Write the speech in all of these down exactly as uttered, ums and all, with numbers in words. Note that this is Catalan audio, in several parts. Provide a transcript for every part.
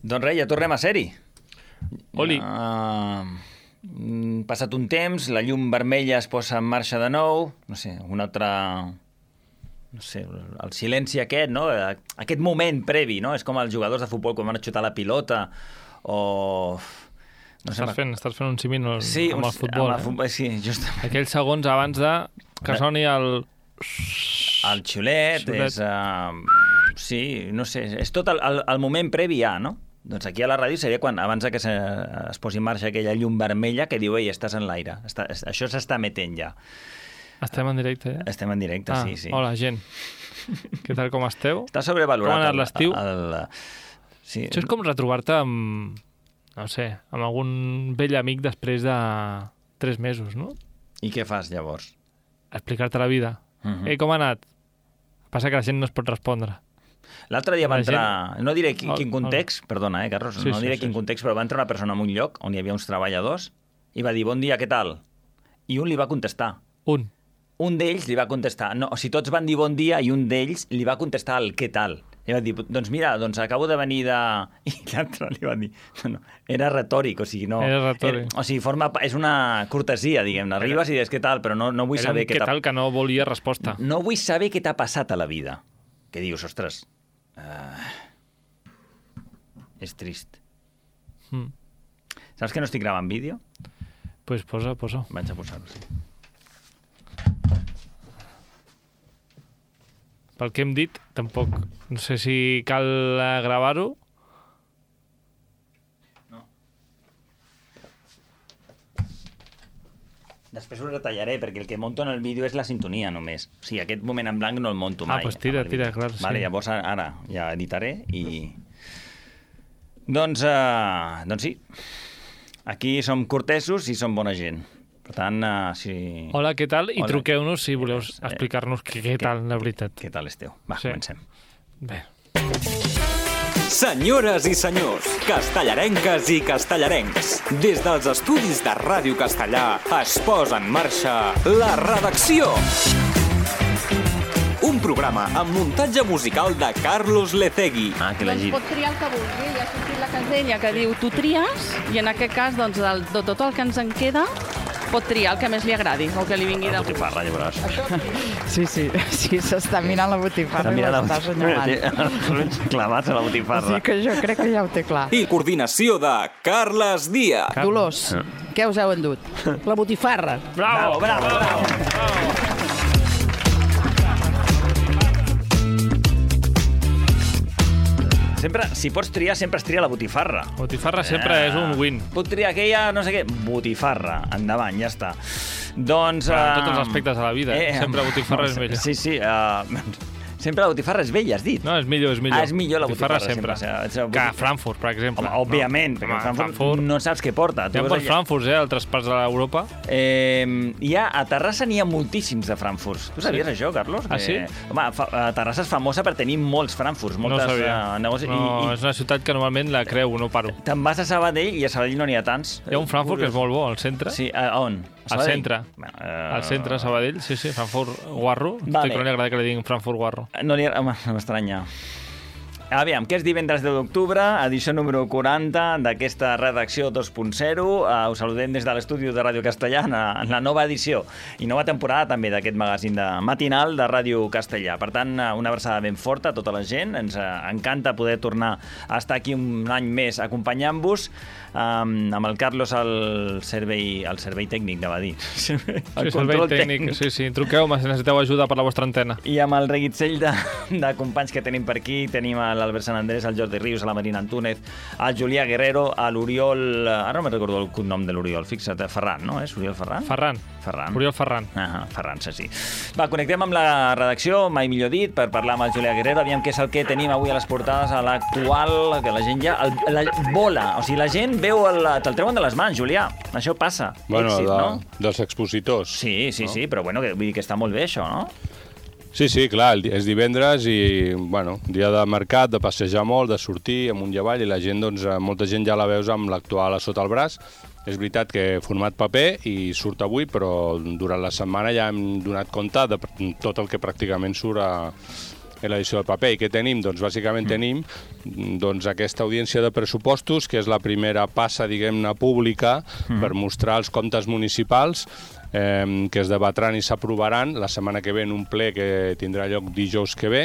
Doncs res, ja tornem a ser-hi. Oli. Ja, mm, passat un temps, la llum vermella es posa en marxa de nou, no sé, un altre... No sé, el silenci aquest, no? Aquest moment previ, no? És com els jugadors de futbol quan van a xutar la pilota o... No sé, estàs, fent, estàs fent un símil sí, amb el futbol. Amb el futbol, eh? sí, justament. Aquells segons abans de que soni el... El xiulet, xiulet. és... Uh, sí, no sé, és tot el, el, el moment previ ja, no? Doncs aquí a la ràdio seria quan, abans que se, es posi en marxa aquella llum vermella que diu, ei, estàs en l'aire, està, això s'està metent ja. Estem en directe, eh? Estem en directe, ah, sí, sí. Hola, gent. Què tal, com esteu? Està sobrevalorat. Com ha anat l'estiu? El... Sí. Això és com retrobar-te amb, no sé, amb algun vell amic després de tres mesos, no? I què fas, llavors? Explicar-te la vida. Uh-huh. Ei, com ha anat? Passa que la gent no es pot respondre. L'altre dia va La entrar... gent... No diré quin, El- quin context, perdona, eh, Carlos? Sí, no sí, diré sí, quin sí. context, però va entrar una persona en un lloc on hi havia uns treballadors i va dir, bon dia, què tal? I un li va contestar. Un. Un d'ells li va contestar, no, o sigui, tots van dir bon dia i un d'ells li va contestar el què tal. I va dir, doncs mira, doncs acabo de venir de... I l'altre li va dir, no, no, era retòric, o sigui, no... Era retòric. Era, o sigui, forma, és una cortesia, diguem-ne. Arribes i dius què tal, però no, no vull Era un saber què què t'ha... tal que no volia resposta. No vull saber què t'ha passat a la vida. Que dius, ostres, uh, és trist. Mm. Saps que no estic gravant vídeo? Pues posa, posa. Vaig a posar-ho, sí. Pel que hem dit, tampoc... No sé si cal eh, gravar-ho. Després ho retallaré, perquè el que monto en el vídeo és la sintonia només. O sigui, aquest moment en blanc no el monto mai. Ah, doncs tira, amb el vídeo. tira, clar, sí. Vale, llavors ara ja editaré i... Doncs, uh, doncs sí, aquí som cortesos i som bona gent. Per tant, uh, si... Hola, què tal? I Hola. truqueu-nos si voleu Eh, explicar-nos què, què tal, la veritat. Què tal esteu? Va, Sí. comencem. Bé. Senyores i senyors, castellarenques i castellarencs, des dels estudis de Ràdio Castellà es posa en marxa La Redacció. Un programa amb muntatge musical de Carlos Lecegui. Ah, que la Doncs giri. pot triar el que vulgui. Ja ha sortit la casella que diu tu tries, i en aquest cas, doncs, del, de tot el que ens en queda, pot triar el que més li agradi, o que li vingui de La gust. botifarra, ja veuràs. Sí, sí, sí, s'està mirant la botifarra i l'està assenyalant. Els ulls clavats a la botifarra. Sí que jo crec que ja ho té clar. I coordinació de Carles Díaz. Dolors, què us heu endut? La botifarra. Bravo, bravo, bravo. Sempre, si pots triar, sempre es tria la botifarra. Botifarra sempre Ah. és un win. Puc triar aquella, no sé què, botifarra. Endavant, ja està. Doncs... En eh, tots els aspectes de la vida, sempre botifarra és millor. Sí, sí. Uh, sempre la botifarra és vella, has dit. No, és millor, és millor. Ah, és millor la botifarra, sempre. sempre. O sigui, Que a Frankfurt, per exemple. Home, òbviament, no. perquè Home, a Frankfurt, Frankfurt no saps què porta. Hi ha vas per allà- Frankfurt, eh, a altres parts d'Europa. Eh, hi ha, a Terrassa n'hi ha moltíssims de Frankfurts. Tu sabies Sí? això, Carlos? Ah, Que, sí? Home, fa, a Terrassa és famosa per tenir molts Frankfurts, moltes no sabia. eh, negocis. No, I, és una ciutat que normalment la creu, no paro. i te'n vas a Sabadell i a Sabadell no n'hi ha tants. Hi ha un Frankfurt que és molt bo, al centre. Sí, a, a on? A Al Sabadell? centre. Bueno, eh, Al centre de Sabadell, sí, sí, Frankfurt Guarro. Vale. Vale. Que no li agrada que li diguin Frankfurt Guarro. No li... Home, no m'estranya. Aviam, que és divendres deu d'octubre, edició número quaranta d'aquesta redacció dos punt zero. Uh, us saludem des de l'estudi de Ràdio Castellà en la, en la nova edició i nova temporada també d'aquest magazín de matinal de Ràdio Castellà. Per tant, uh, una abraçada ben forta a tota la gent. Ens uh, encanta poder tornar a estar aquí un any més acompanyant-vos um, amb el Carlos al servei, al servei tècnic, anava a dir. El sí, servei tècnic. Sí, sí, truqueu-me si necessiteu ajuda per la vostra antena. I amb el reguitzell de, de companys que tenim per aquí, tenim l'Albert Sant Andrés, el Jordi Rius, la Marina Antúnez, el Julià Guerrero, l'Oriol... Ara no me'n recordo el cognom de l'Oriol, fixa't, Ferran, no? És Oriol Ferran? Ferran. Ferran. Oriol Ferran. Ah, Ferran, sí, sí. Va, connectem amb la redacció, mai millor dit, per parlar amb el Julià Guerrero, aviam què és el que tenim avui a les portades, a l'actual, que la gent ja... El, la, vola, o sigui, la gent veu... El, te'l treuen de les mans, Julià. Això passa. Bueno, Èxit, de, no? dels expositors. Sí, sí, no? sí, però bueno, que, vull dir que està molt bé, això, no? Sí, sí, clar, el di- és divendres i, bueno, dia de mercat, de passejar molt, de sortir amunt i avall, i la gent, doncs, eh, molta gent ja la veus amb l'actual a sota el braç. És veritat que format paper i surt avui, però durant la setmana ja hem donat compte de pr- tot el que pràcticament surt a, en l'edició del paper. I què tenim? Doncs bàsicament mm. tenim doncs, aquesta audiència de pressupostos, que és la primera passa, diguem-ne, pública mm. per mostrar els comptes municipals eh, que es debatran i s'aprovaran la setmana que ve en un ple que tindrà lloc dijous que ve,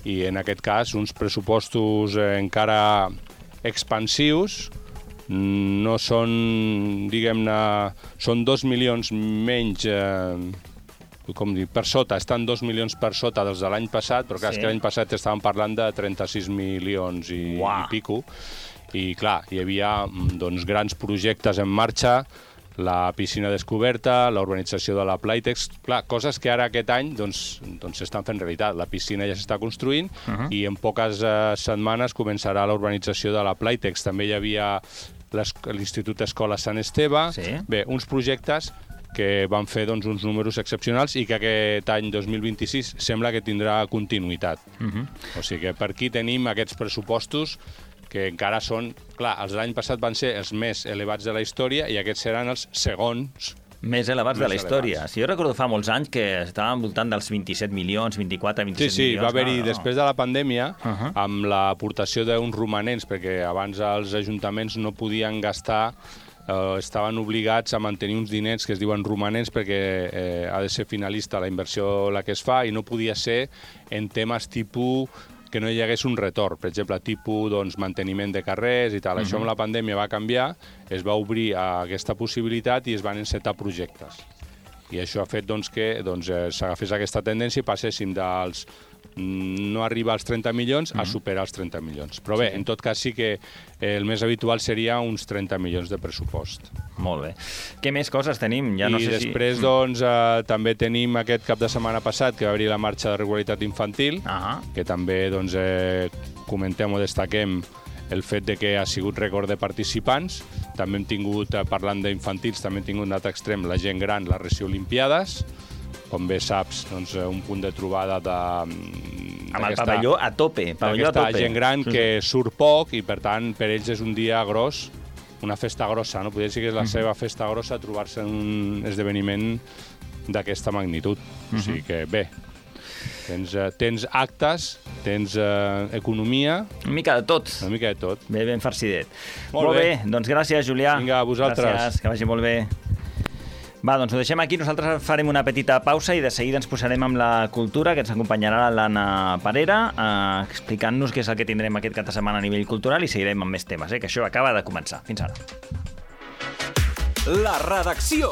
i en aquest cas uns pressupostos eh, encara expansius, no són, diguem-ne, són dos milions menys, eh, com dir, per sota, estan dos milions per sota dels de l'any passat, però clar, sí. és que l'any passat estàvem parlant de trenta-sis milions i, i pico, i clar, hi havia doncs, grans projectes en marxa, la piscina descoberta, la urbanització de la Playtex, clar, coses que ara aquest any doncs, doncs s'estan fent realitat. La piscina ja s'està construint uh -huh. i en poques eh, setmanes començarà la urbanització de la Playtex. També hi havia l'Institut Escola Sant Esteve. Sí. Bé, uns projectes que van fer doncs, uns números excepcionals i que aquest any dos mil vint-i-sis sembla que tindrà continuïtat. Uh -huh. O sigui que per aquí tenim aquests pressupostos que encara són... Clar, els de l'any passat van ser els més elevats de la història i aquests seran els segons més elevats més de la història. Elevats. Si jo recordo fa molts anys que estàvem voltant dels vint-i-set milions, vint-i-quatre, vint-i-set sí, sí, milions. Sí, va haver-hi, no, no. després de la pandèmia, uh -huh. amb l'aportació d'uns romanents, perquè abans els ajuntaments no podien gastar, eh, estaven obligats a mantenir uns diners que es diuen romanents perquè eh, ha de ser finalista la inversió la que es fa i no podia ser en temes tipus que no hi hagués un retorn, per exemple, tipus doncs, manteniment de carrers i tal. Uh -huh. Això amb la pandèmia va canviar, es va obrir a aquesta possibilitat i es van encetar projectes. I això ha fet doncs, que doncs, eh, s'agafés aquesta tendència i passéssim dels no arribar als trenta milions a superar els trenta milions. Però bé, sí. en tot cas sí que el més habitual seria uns trenta milions de pressupost. Molt bé. Què més coses tenim? Ja no I sé després, si... doncs, eh, també tenim aquest cap de setmana passat que va haver la marxa de regularitat infantil, uh -huh. que també doncs, eh, comentem o destaquem el fet de que ha sigut rècord de participants. També hem tingut, eh, parlant d'infantils, també hem tingut un altre extrem, la gent gran, les Reci Olimpiades. Com bé saps, doncs, un punt de trobada de... Amb el pavelló a tope. Pavelló a tope. Gent gran que surt poc i, per tant, per ells és un dia gros, una festa grossa, no? Podria dir que és la seva festa grossa trobar-se en un esdeveniment d'aquesta magnitud. O sigui que, bé, tens, uh, tens actes, tens uh, economia... Una mica de tot. Una mica de tot. Bé, ben farcidet. Molt, molt bé. bé, doncs gràcies, Julià. Vinga, a vosaltres. Gràcies, que vagi molt bé. Va, doncs ho deixem aquí. Nosaltres farem una petita pausa i de seguida ens posarem amb la cultura, que ens acompanyarà l'Anna Parera, eh, explicant-nos què és el que tindrem aquest cap de setmana a nivell cultural i seguirem amb més temes, eh, que això acaba de començar. Fins ara. La redacció,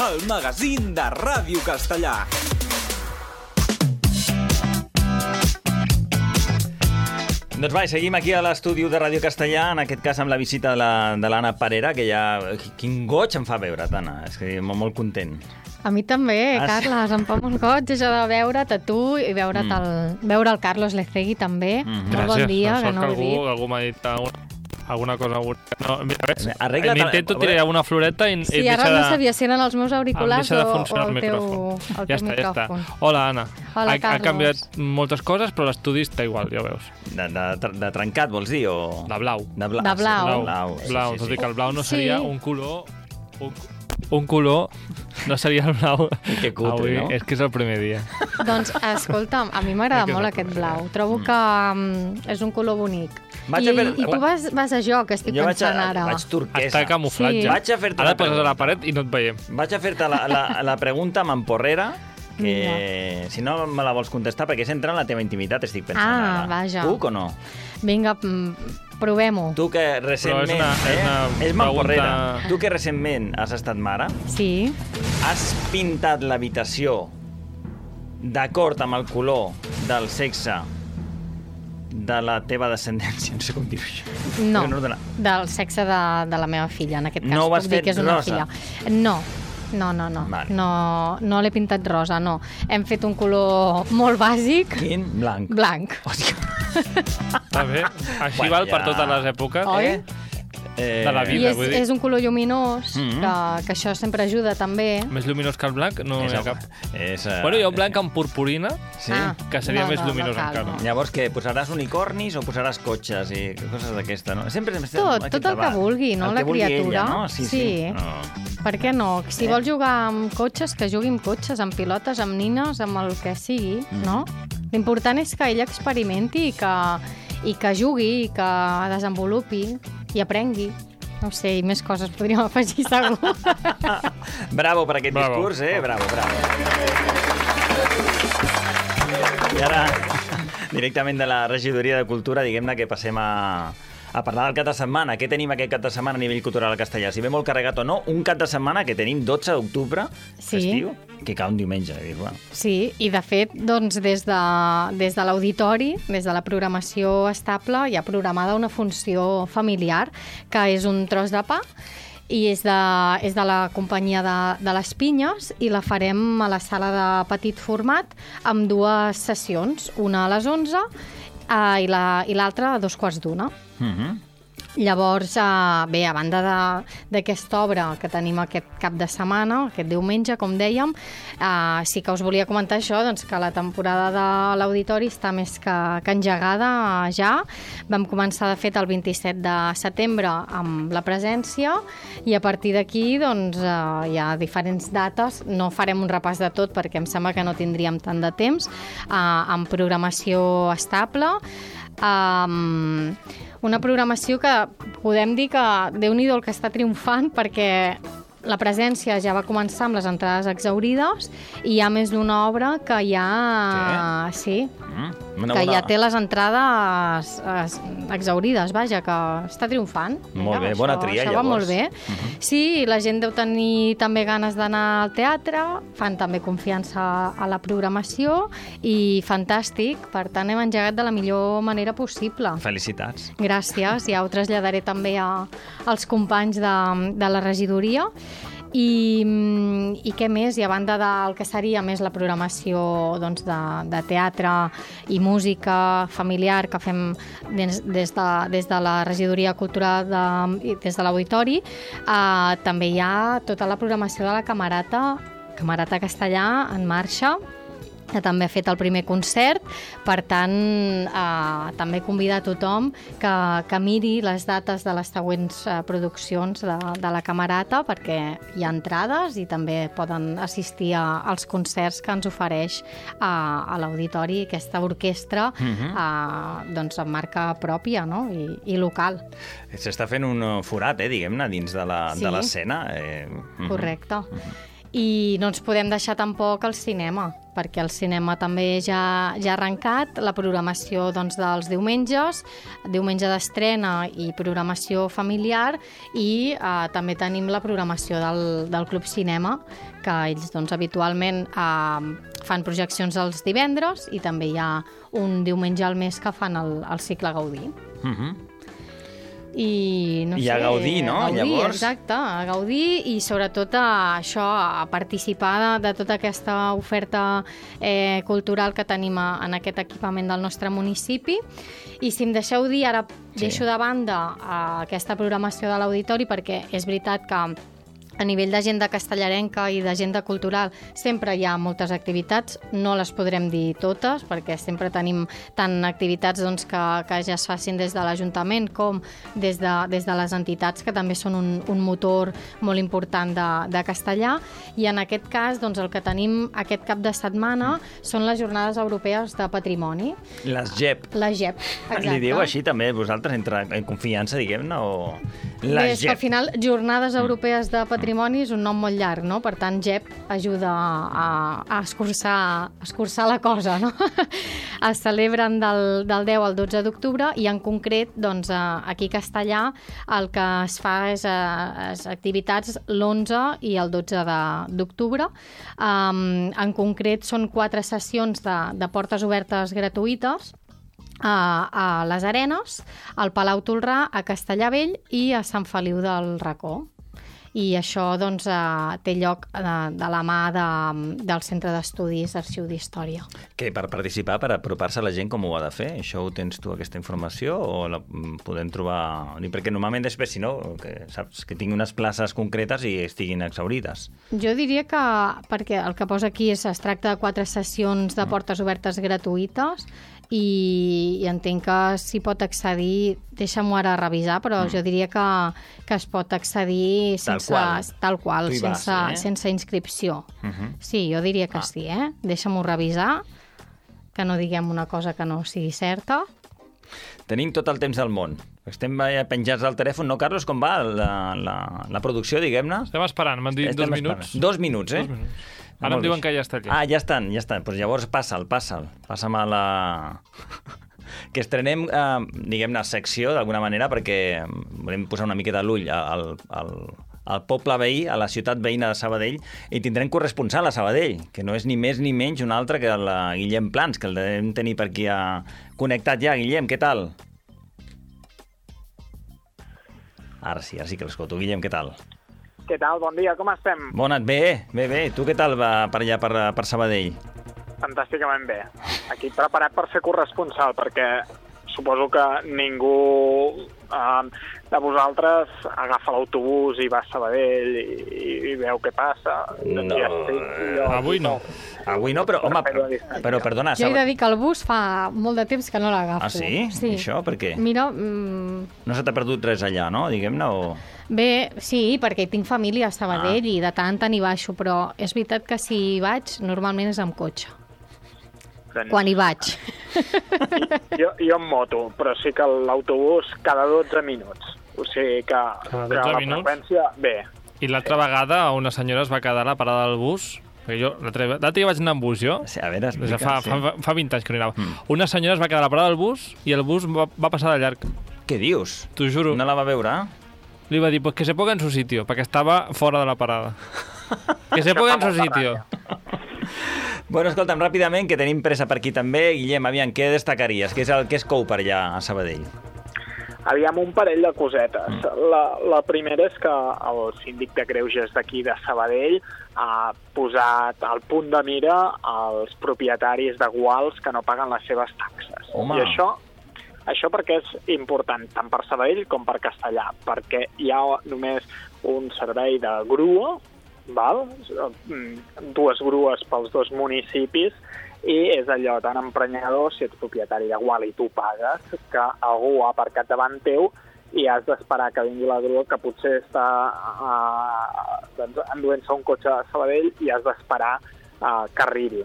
el magazín de Ràdio Castellà. Doncs va, seguim aquí a l'estudi de Ràdio Castellà, en aquest cas amb la visita de l'Anna la, Parera, que ja... Quin goig em fa veure't, Anna, és que molt, molt content. A mi també, ah, Carles, sí. Em fa molt goig això de veure't a tu i veure't mm. el, veure el Carlos Lecegui també. Mm. Molt bon dia, que no ho he dit. Algú, algú m'ha dit alguna, alguna cosa... No, mira, ves, Arregla't, m'intento tirar alguna floreta i, sí, i ara de, no sabia si eren els meus auriculars o, o el, el teu, el ja teu està, micròfon. Ja està. Hola, Anna. Hola, ha, ha canviat moltes coses, però l'estudi està igual, ja ho veus. De, de, de trencat, vols dir? O... De blau. De blau. De blau. Blau, blau, sí, blau. sí, sí. Tot i que el blau no seria sí. un color... Un, un color no seria el blau. Que cutre, avui, no? És que és el primer dia. Doncs, escolta'm, a mi m'agrada molt aquest blau. Trobo que um, és un color bonic. Vaig I, a fer... I tu vas, vas a jo, que estic jo pensant vaig a, ara. Vaig turquesa. Està camuflatge. Sí. Vaig a fer-te Ara la poses a la pregunta. paret i no et veiem. Vaig a fer-te la, la, la pregunta amb emporrera, que Vinga. si no me la vols contestar, perquè és entrar en la teva intimitat, estic pensant Ah, ara. vaja. Puc o no? Vinga, provem-ho. Tu que recentment... Però és una- és una eh? És mamporrera. pregunta- Tu que recentment has estat mare, Sí. has pintat l'habitació d'acord amb el color del sexe de la teva descendència, no sé com dir-ho això. No, no dona... del sexe de, de la meva filla, en aquest cas. No ho has Puc dir fet que és una rosa? filla. No, no, no, no. Vale. No, no l'he pintat rosa, no. Hem fet un color molt bàsic. Quin? Blanc. Blanc. Hòstia. Està bé. Així Bueno, val per ja. totes les èpoques. Oi? Eh? de la I vida, és, vull dir. és un color lluminós, Mm. que, que això sempre ajuda també. Més lluminós que el blanc no És hi ha el- cap. És, eh, Bueno, hi ha un blanc amb purpurina, Sí. Ah, que seria no, més no, lluminós no cal, encara. no. Llavors, què? Posaràs unicornis o posaràs cotxes i coses d'aquesta, no? Sempre estem Tot, aquest tot el que debat. vulgui, no, El la que vulgui criatura. Ella, no? Sí, sí. Sí. No. Per què no? Si Eh? vol jugar amb cotxes, que jugui amb cotxes, amb pilotes, amb nines, amb el que sigui, Mm. no? L'important és que ell experimenti i que, i que jugui, i que desenvolupi i aprengui. No sé, i més coses podríem afegir, segur. Bravo per aquest Bravo. discurs, eh? Bravo, bravo. I ara, directament de la regidoria de Cultura, diguem-ne que passem a, a parlar del cap de setmana. Què tenim aquest cap de setmana a nivell cultural castellà? Si ve molt carregat o no, un cap de setmana que tenim dotze d'octubre, Sí. festiu, que cau un diumenge. I, bueno, Sí, i de fet, doncs, des de, des de l'auditori, des de la programació estable, hi ha programada una funció familiar, que és un tros de pa, i és de, és de la companyia de, de les Pinyes, i la farem a la sala de petit format amb dues sessions, una a les onze eh, i la- i l'altra a dos quarts d'una. uh -huh. Llavors, eh, bé, a banda de- d'aquesta obra que tenim aquest cap de setmana, aquest diumenge, com dèiem, eh, sí que us volia comentar això, doncs, que la temporada de l'Auditori està més que, que engegada eh, ja. Vam començar, de fet, el vint-i-set de setembre amb la presència, i a partir d'aquí doncs, eh, hi ha diferents dates. No farem un repàs de tot perquè em sembla que no tindríem tant de temps, eh, amb programació estable. Um, una programació que podem dir que Déu-n'hi-do el que està triomfant, perquè la presència ja va començar amb les entrades exaurides i hi ha més d'una obra que ja... Sí, Mm, una que bona- ja té les entrades es, exaurides, vaja, que està triomfant. Molt bé, Mira, bona això, tria, això va llavors. molt bé. Sí, la gent deu tenir també ganes d'anar al teatre, fan també confiança a la programació i fantàstic, per tant hem engegat de la millor manera possible. Felicitats. Gràcies, ja ho traslladaré també a, als companys de, de la regidoria. I, mm, i què més? I a banda del que seria més la programació doncs, de, de teatre i música familiar que fem des, des, de, des de la regidoria cultural de, i des de l'auditori, eh, també hi ha tota la programació de la Camerata, Camerata Castellà en marxa, que també ha fet el primer concert. Per tant, eh, també convidar a tothom que, que miri les dates de les següents eh, produccions de, de la Camerata, perquè hi ha entrades i també poden assistir a, als concerts que ens ofereix a, a l'auditori aquesta orquestra eh, doncs, amb marca pròpia, no? I, i local. S'està fent un forat, eh, diguem-ne, dins de la- Sí. de l'escena. Eh, mhm. Correcte. I no ens podem deixar tampoc el cinema, perquè el cinema també ja, ja ha arrencat, la programació doncs, dels diumenges, diumenge d'estrena i programació familiar, i eh, també tenim la programació del, del Club Cinema, que ells doncs, habitualment eh, fan projeccions els divendres, i també hi ha un diumenge al mes que fan el, el cicle Gaudí. Mhm. I, no I sé, a gaudir, no? A gaudir, Llavors- exacte, a gaudir i sobretot a això, a participar de, de tota aquesta oferta eh, cultural que tenim a, en aquest equipament del nostre municipi. I si em deixeu dir, ara Sí. deixo de banda eh, aquesta programació de l'auditori, perquè és veritat que a nivell d'agenda castellarenca i d'agenda cultural sempre hi ha moltes activitats, no les podrem dir totes perquè sempre tenim tant activitats doncs, que, que ja es facin des de l'Ajuntament com des de, des de les entitats, que també són un, un motor molt important de, de castellà, i en aquest cas doncs, el que tenim aquest cap de setmana són les Jornades Europees de Patrimoni, Les G E P. la G E P, exacte. Li diu així també vosaltres, entre en confiança, diguem-ne, o... Bé, Les és que G E al P. final Jornades Europees de Patrimoni és un nom molt llarg, no? Per tant, G E P ajuda a, a, escurçar, a escurçar la cosa, no? Es celebren del, del deu al dotze d'octubre, i en concret, doncs, aquí a Castellà el que es fa és, és activitats l'onze i el dotze d'octubre. Um, en concret són quatre sessions de, de portes obertes gratuïtes a, a les Arenes, al Palau Tolrà, a Castellà Vell i a Sant Feliu del Racó. i això doncs, eh, té lloc de, de la mà de, del Centre d'Estudis d'Arxiu d'Història. Que per participar, per apropar-se a la gent, com ho ha de fer? Això ho tens tu, aquesta informació, o la podem trobar... Perquè normalment després, si no, que saps que tingui unes places concretes i estiguin exhaurides. Jo diria que, perquè el que posa aquí és, es tracta de quatre sessions de portes obertes gratuïtes, i, i entenc que s'hi pot accedir, deixa'm-ho ara revisar, però mm. jo diria que, que es pot accedir sense, tal qual, tal qual sense, vas, eh? sense inscripció. Uh-huh. Sí, jo diria que ah. sí, eh? Deixa'm-ho revisar, que no diguem una cosa que no sigui certa. Tenim tot el temps del món. Estem penjats al telèfon, no, Carlos? Com va la, la, la producció, diguem-ne? Estem esperant, m'han dit Estem dos esperant. minuts. Dos minuts, eh? Dos minuts. Ara em diuen que ja està allà. Ah, ja estan, ja estan. Pues llavors passa'l, passa'l. Passa'm a la... que estrenem, eh, diguem-ne, secció, d'alguna manera, perquè volem posar una miqueta l'ull al, al, al poble veí, a la ciutat veïna de Sabadell, i tindrem corresponsal a Sabadell, que no és ni més ni menys un altre que el Guillem Plans, que el devem tenir per aquí a... connectat ja. Guillem, què tal? Ara sí, ara sí que l'escolto. Guillem, què tal? Què tal? Bon dia, com estem? Bona, bé, bé, bé. Tu què tal va per allà, per, per Sabadell? Fantàsticament bé. Aquí preparat per ser corresponsal, perquè suposo que ningú eh, de vosaltres agafa l'autobús i va a Sabadell i, i veu què passa. No, ja estic, jo, avui no. Avui no, però, home, però, però perdona... Jo he de dir que el bus fa molt de temps que no l'agafo. Ah, sí? Sí. Això, per què? Mira... Mm... No se t'ha perdut res allà, no? Diguem-ne, o... Bé, sí, perquè tinc família a Sabadell ah. i de tant en tant hi baixo, però és veritat que si hi vaig, normalment és amb cotxe. Doncs... Quan hi vaig. Jo, jo en moto, però sí que l'autobús cada dotze minuts. O sigui que, cada que la minuts? freqüència... Bé. I l'altra sí. vegada una senyora es va quedar a la parada del bus, perquè jo l'altre dia vaig anar amb bus, jo. Sí, a veure, explica, fa, sí. fa, fa vint anys que no hi anava. Mm. Una senyora es va quedar a la parada del bus i el bus va, va passar de llarg. Què dius? T'ho juro. No la va veure? Li va dir, pues que se ponga en su sitio, perquè estava fora de la parada. Que se ponga en su sitio. Bueno, escolta'm, ràpidament, que tenim pressa per aquí també. Guillem, aviam, què destacaries? Què és el que es cou per allà a Sabadell? Aviam, un parell de cosetes. Mm. La, la primera és que el síndic de Greuges d'aquí de Sabadell ha posat al punt de mira els propietaris de guals que no paguen les seves taxes. Home. I això, això perquè és important tant per Sabadell com per Castellà, perquè hi ha només un servei de grua, val? Dues grues pels dos municipis, i és allò tan emprenyador, si ets propietari de gual i tu pagues, que algú ha aparcat davant teu i has d'esperar que vingui la grua, que potser està uh, doncs, enduent-se un cotxe a Sabadell i has d'esperar uh, que arribi.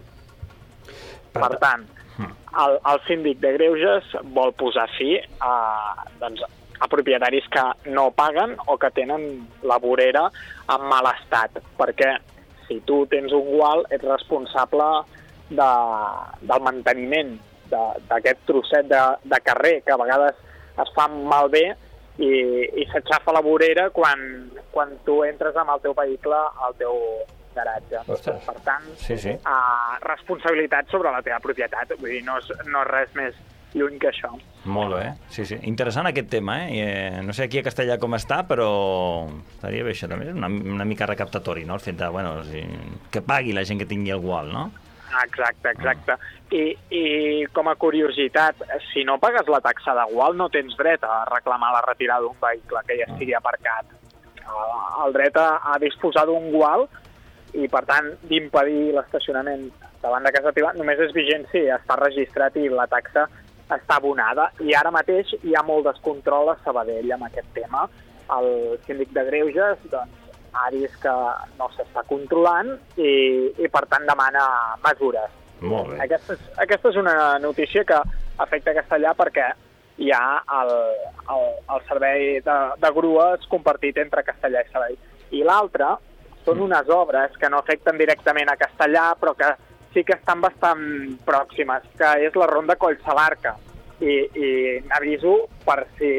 Per tant, el, el síndic de Greuges vol posar fi a, doncs, a propietaris que no paguen o que tenen la vorera en mal estat, perquè si tu tens un gual ets responsable de, del manteniment d'aquest trosset de, de carrer que a vegades es fa malbé i, i s'aixafa la vorera quan, quan tu entres amb el teu vehicle al teu garatge. Ostres. Per tant, sí, sí. Uh, responsabilitat sobre la teva propietat. Vull dir, no és, no és res més lluny que això. Molt bé, sí, sí. Interessant aquest tema, eh? I, eh no sé aquí a Castellà com està, però estaria bé això també, una, una mica recaptatori, no? El fet de, bueno, o sigui, que pagui la gent que tingui el gual, no? Exacte, exacte. I, I com a curiositat, si no pagues la taxa de gual no tens dret a reclamar la retirada d'un vehicle que ja estigui aparcat. El dret a, a disposar d'un gual i, per tant, d'impedir l'estacionament davant de casa teva només és vigent si està registrat i la taxa està abonada. I ara mateix hi ha molt descontrol a Sabadell amb aquest tema. El síndic de Greuges, doncs, ha vist que no s'està controlant i, i, per tant, demana mesures. Molt bé. Aquesta és, aquesta és una notícia que afecta Castellà perquè hi ha el, el, el servei de, de grues compartit entre Castellà i Sabadell. I l'altra són unes obres que no afecten directament a Castellà, però que sí que estan bastant pròximes, que és la ronda Collsalarca. I, i n'aviso per si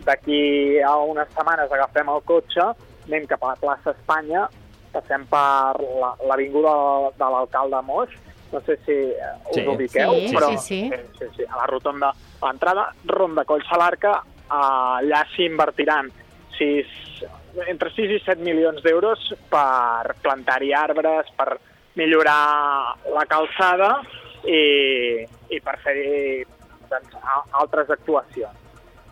d'aquí a unes setmanes agafem el cotxe, anem cap a la plaça Espanya, passem per l'avinguda la, de l'alcalde Moix, no sé si us sí. ubiqueu, sí, però sí, sí. Sí, sí, sí, a la rotonda, a l'entrada, ronda Collsalarca, allà s'hi invertiran sis, entre sis i set milions d'euros per plantar-hi arbres, per millorar la calçada i, i per fer-hi doncs, altres actuacions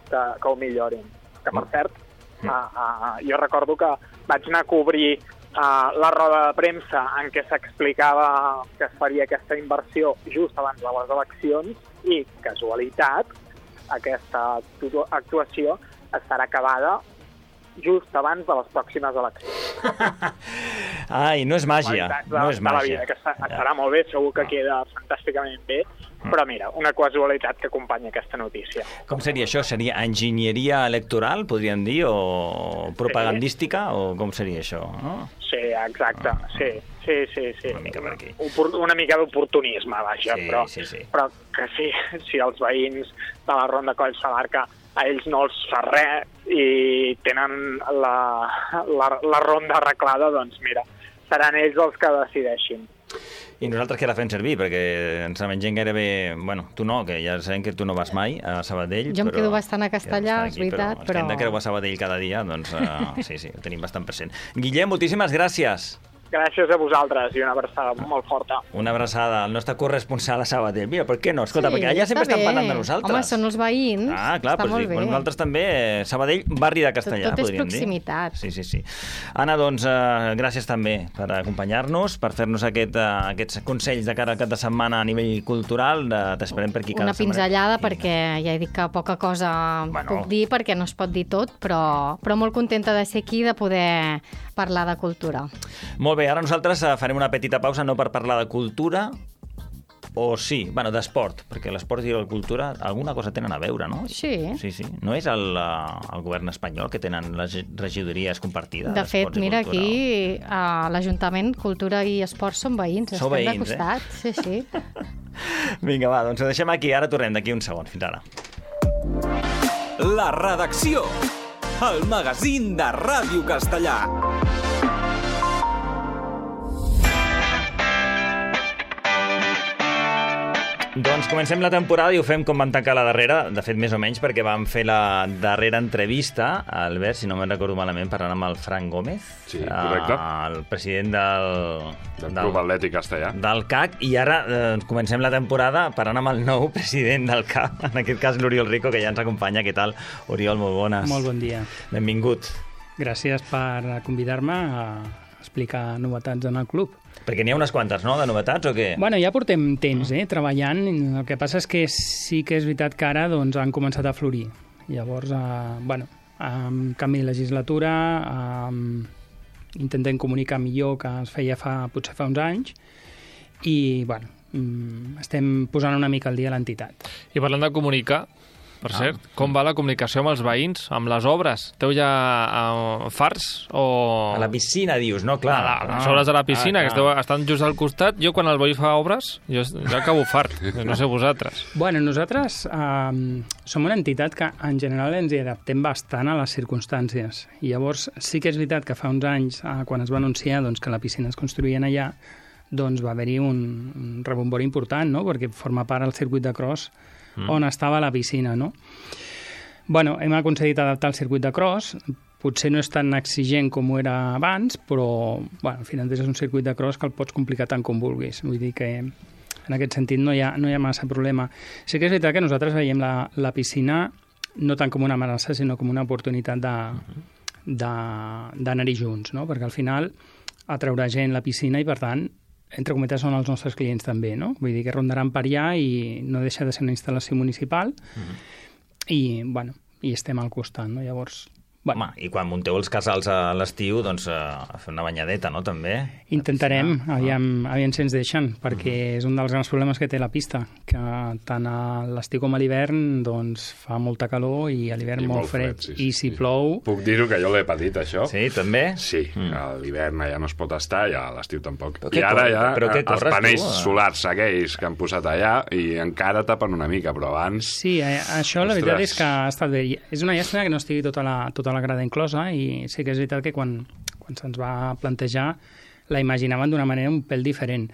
que, que ho millorin. Que, per cert, mm. a, a, jo recordo que vaig anar a cobrir a la roda de premsa en què s'explicava que es faria aquesta inversió just abans de les eleccions i, casualitat, aquesta actuació estarà acabada just abans de les pròximes eleccions. Ai, no és màgia, no és màgia. Vida, que estarà molt bé, segur que queda fantàsticament bé, però mira, una casualitat que acompanya aquesta notícia. Com seria això? Seria enginyeria electoral, podríem dir, o propagandística, sí. O com seria això? No? Sí, exacte, ah, sí, sí, sí, sí. Una mica per aquí. Una mica d'oportunisme, vaja, sí, però, sí, sí. però que sí, si els veïns de la Ronda Coll Salarca a ells no els fa res i tenen la, la, la ronda arreglada, doncs mira, seran ells els que decideixin. I nosaltres què la fem servir? Perquè ens la mengem gairebé... Bueno, tu no, que ja sabem que tu no vas mai a Sabadell. Jo em però... quedo bastant a Castellà, és veritat, però... però... Els que hem de creuar Sabadell cada dia, doncs uh, sí, sí, ho tenim bastant present. Guillem, moltíssimes gràcies. Gràcies a vosaltres i una abraçada molt forta. Una abraçada al nostre corresponsal a Sabadell. Mira, per què no? Escolta, sí, perquè allà sempre estan parlant de nosaltres. Home, són els veïns. Ah, clar, està però molt sí, bé. Nosaltres també, Sabadell, barri de Castellà, tot, tot podríem dir. Tot és proximitat. Sí, sí, sí. Anna, doncs, uh, gràcies també per acompanyar-nos, per fer-nos aquest, uh, aquests consells de cara al cap de setmana a nivell cultural. T'esperem per aquí cada Una setmana. pinzellada, perquè ja he dit que poca cosa bueno. puc dir, perquè no es pot dir tot, però, però molt contenta de ser aquí, de poder parlar de cultura. Molt bé, ara nosaltres farem una petita pausa, no per parlar de cultura, o sí, bueno, d'esport, perquè l'esport i la cultura alguna cosa tenen a veure, no? Sí. Sí, sí. No és el, el govern espanyol que tenen les regidories compartides? De fet, mira, aquí a l'Ajuntament, Cultura i Esport són veïns. Sou estem veïns, de costat. Eh? Sí, sí. Vinga, va, doncs ho deixem aquí. Ara tornem d'aquí un segon. Fins ara. La redacció. El magazín de Ràdio Castellà. Doncs comencem la temporada i ho fem com vam tancar la darrera, de fet més o menys perquè vam fer la darrera entrevista, Albert, si no me'n recordo malament, parlant amb el Frank Gómez, sí, correcte. el president del, del Club Atlètic Castellà, del C A C, i ara eh, comencem la temporada parlant amb el nou president del C A C, en aquest cas l'Oriol Rico, que ja ens acompanya. Què tal, Oriol? Molt bones. Molt bon dia. Benvingut. Gràcies per convidar-me a explicar novetats en el club. Perquè n'hi ha unes quantes, no?, de novetats, o què? Bueno, ja portem temps, eh, treballant. El que passa és que sí que és veritat que ara doncs, han començat a florir. Llavors, eh, bueno, amb canvi de legislatura, eh, intentem comunicar millor que es feia fa, potser fa uns anys, i, bueno, estem posant una mica al dia l'entitat. I parlant de comunicar, per ah. cert, com va la comunicació amb els veïns, amb les obres? Teu ja uh, farts o... A la piscina, dius, no? Clar. A les obres de la piscina, ah, que esteu, estan just al costat. Jo, quan el veí fa obres, jo, jo acabo fart. No sé vosaltres. Bueno, nosaltres eh, som una entitat que en general ens hi adaptem bastant a les circumstàncies. I llavors sí que és veritat que fa uns anys, eh, quan es va anunciar doncs, que la piscina es construïen allà, doncs va haver-hi un, un rebombori important, no?, perquè forma part del circuit de cross mm. on estava la piscina, no? Bueno, hem aconseguit adaptar el circuit de cross, potser no és tan exigent com ho era abans, però, bueno, al final és un circuit de cross que el pots complicar tant com vulguis. Vull dir que en aquest sentit no hi ha, no hi ha massa problema. Sí que és veritat que nosaltres veiem la, la piscina no tant com una amenaça, sinó com una oportunitat de, de, d'anar-hi junts, no? Perquè al final atraurà gent la piscina i, per tant, entre cometes, són els nostres clients també, no? Vull dir que rondaran per allà i no deixa de ser una instal·lació municipal mm-hmm. i, bueno, i estem al costat, no? Llavors... Bueno. Home, i quan munteu els casals a l'estiu, doncs a fer una banyadeta, no?, també? Intentarem, aviam, aviam si ens deixen, perquè mm. és un dels grans problemes que té la pista, que tant a l'estiu com a l'hivern doncs fa molta calor i a l'hivern molt, molt fred. fred sí, sí, I si sí. plou... Puc dir-ho, que jo l'he patit, això. Sí, també? Sí, mm. a l'hivern ja no es pot estar i a l'estiu tampoc. Però I ara ja però els corres, panells tu, solars aquells que han posat allà i encara tapen una mica, però abans... Sí, eh, això la veritat és que ha estat bé. És una llàstima que no estigui tota la, tota la grada inclosa, i sí que és veritat que quan, quan se'ns va plantejar la imaginaven d'una manera un pèl diferent,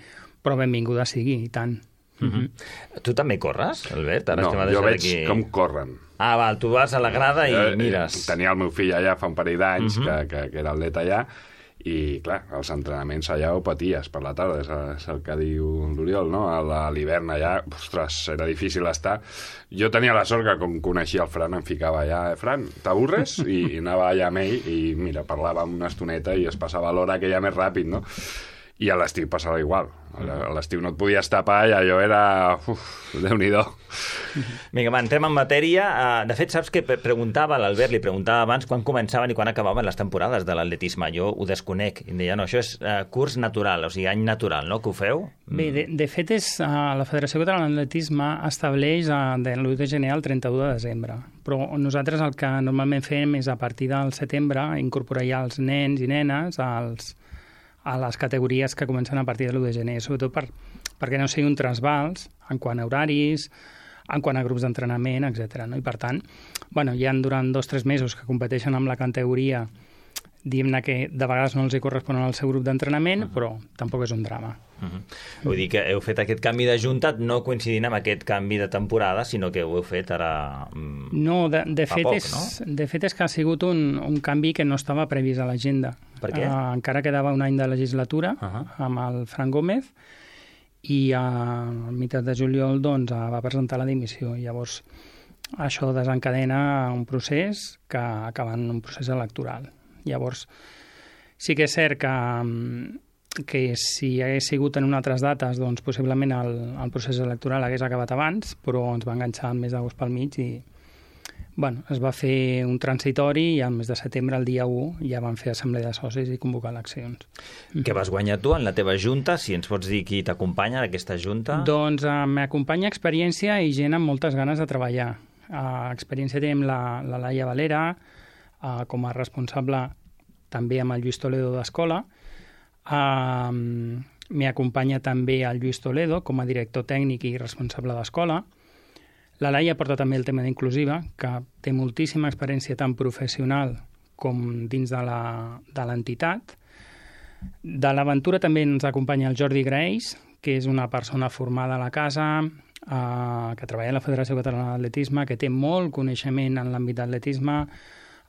però benvinguda sigui, i tant. Mm-hmm. Tu també corres, Albert? Ara no, jo veig aquí... com corren. Ah, val, tu vas a la grada i eh, mires. Tenia el meu fill allà fa un parell d'anys, Mm-hmm. que, que, que era atlet allà, i, clar, els entrenaments allà ho paties per la tarda, és, és el que diu l'Oriol, no? A l'hivern allà, ostres, era difícil estar. Jo tenia la sort que, com coneixia el Fran, em ficava allà, eh, Fran, t'avorres? I, I anava allà amb ell, i mira, parlàvem una estoneta i es passava l'hora aquella més ràpid, no? I a l'estiu passava igual. A l'estiu no et podies tapar i allò era... Uf, Déu-n'hi-do. Vinga, va, entrem en matèria. De fet, saps que preguntava, l'Albert li preguntava abans quan començaven i quan acabaven les temporades de l'atletisme. Jo ho desconec. I em deia, no, això és uh, curs natural, o sigui, any natural, no?, que ho feu? Bé, de, de fet, és, uh, la Federació Catalana d'Atletisme estableix uh, de l'u de gener al trenta-u de desembre. Però nosaltres el que normalment fem és a partir del setembre incorporar ja els nens i nenes als a les categories que comencen a partir de l'u de gener, sobretot per, perquè no sigui un trasbals en quant a horaris, en quant a grups d'entrenament, etcètera. No? I per tant, bueno, hi ha durant dos o tres mesos que competeixen amb la categoria, diguem-ne que de vegades no els hi corresponen al seu grup d'entrenament, uh-huh. però tampoc és un drama. Uh-huh. Vull dir que heu fet aquest canvi de junta no coincidint amb aquest canvi de temporada, sinó que ho heu fet ara mm, no, de, de, fet poc, és, no? de fet és que ha sigut un, un canvi que no estava previst a l'agenda. Per què? Uh, encara quedava un any de legislatura uh-huh. amb el Fran Gómez i a meitat de juliol doncs, va presentar la dimissió. Llavors, això desencadena un procés que acaba en un procés electoral. Llavors, sí que és cert que, que si hagués sigut en unes altres dates, doncs possiblement el, el procés electoral hagués acabat abans, però ens va enganxar el mes d'agost pel mig i bueno, es va fer un transitori i al mes de setembre, el dia u, ja van fer assemblea de socis i convocar eleccions. Què vas guanyar tu en la teva junta? Si ens pots dir qui t'acompanya en aquesta junta? Doncs uh, m'acompanya experiència i gent amb moltes ganes de treballar. Uh, experiència tenim la, la Laia Valera, uh, com a responsable també amb el Lluís Toledo d'escola. Uh, M'acompanya també el Lluís Toledo com a director tècnic i responsable d'escola. La Laia porta també el tema d'inclusiva, que té moltíssima experiència tant professional com dins de l'entitat. De l'aventura també ens acompanya el Jordi Grace, que és una persona formada a la casa, eh, que treballa a la Federació Catalana d'Atletisme, que té molt coneixement en l'àmbit d'atletisme,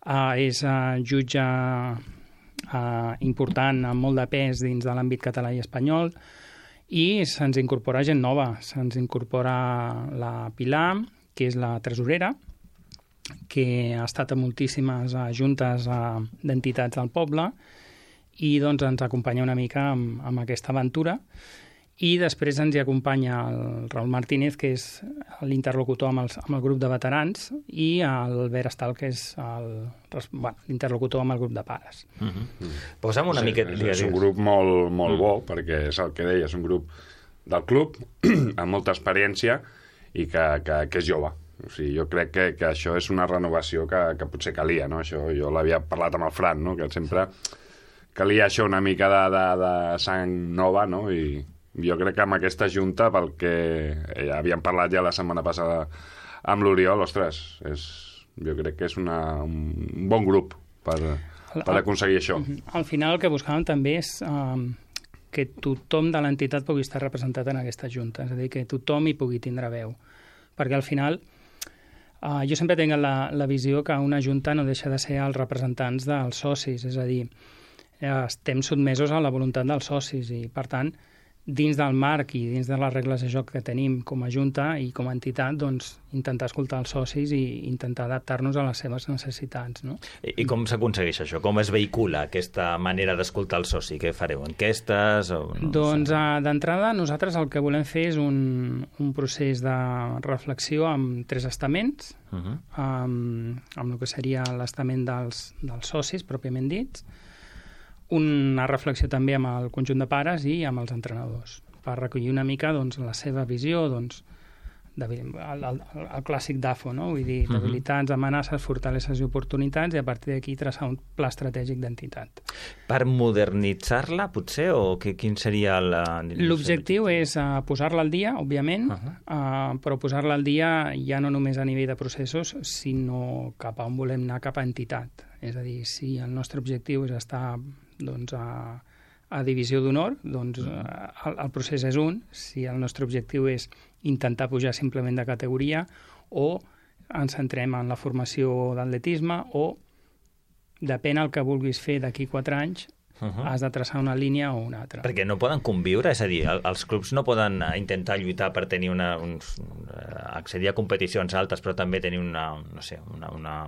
eh, és eh, jutge eh, important, amb molt de pes dins de l'àmbit català i espanyol, i se'ns incorpora gent nova. Se'ns incorpora la Pilar, que és la tresorera, que ha estat a moltíssimes uh, juntes uh, d'entitats del poble i doncs ens acompanya una mica amb, amb aquesta aventura. I després ens hi acompanya el Raül Martínez, que és l'interlocutor amb, els, amb el grup de veterans, i l'Albert Estal, que és l'interlocutor bueno, amb el grup de pares. Uh-huh. Uh-huh. Posa'm una sí, mica... És, és un grup molt, molt uh-huh. bo, perquè és el que deia, és un grup del club amb molta experiència i que, que, que és jove. O sigui, jo crec que, que això és una renovació que, que potser calia, no? Això, jo l'havia parlat amb el Fran, no? Que sempre calia això una mica de, de, de sang nova, no? I jo crec que amb aquesta junta, pel que ja havíem parlat ja la setmana passada amb l'Oriol, ostres, és, jo crec que és una, un bon grup per, per aconseguir això. Al final el que buscàvem també és um, que tothom de l'entitat pugui estar representat en aquesta junta, és a dir, que tothom hi pugui tindre veu. Perquè al final uh, jo sempre tinc la, la visió que una junta no deixa de ser els representants dels socis, és a dir, estem sotmesos a la voluntat dels socis i, per tant, dins del marc i dins de les regles de joc que tenim com a junta i com a entitat, doncs intentar escoltar els socis i intentar adaptar-nos a les seves necessitats. No? I, i com s'aconsegueix això? Com es vehicula aquesta manera d'escoltar el soci? Què fareu? Enquestes? O no doncs uh, d'entrada nosaltres el que volem fer és un, un procés de reflexió amb tres estaments, uh-huh. amb, amb el que seria l'estament dels, dels socis pròpiament dits, una reflexió també amb el conjunt de pares i amb els entrenadors, per recollir una mica doncs, la seva visió, doncs, de, el, el, el clàssic D A F O, no? Vull dir, debilitats, amenaces, fortaleses i oportunitats, i a partir d'aquí traçar un pla estratègic d'entitat. Per modernitzar-la, potser, o que, quin seria la... L'objectiu és uh, posar-la al dia, òbviament, uh-huh. uh, però posar-la al dia ja no només a nivell de processos, sinó cap a on volem anar, cap a entitat. És a dir, si el nostre objectiu és estar doncs, a, a divisió d'honor, doncs el, el procés és un, si el nostre objectiu és intentar pujar simplement de categoria, o ens centrem en la formació d'atletisme, o depèn el que vulguis fer d'aquí quatre anys, uh-huh. has de traçar una línia o una altra. Perquè no poden conviure, és a dir, els clubs no poden intentar lluitar per tenir una, uns, accedir a competicions altes, però també tenir una, no sé, una, una,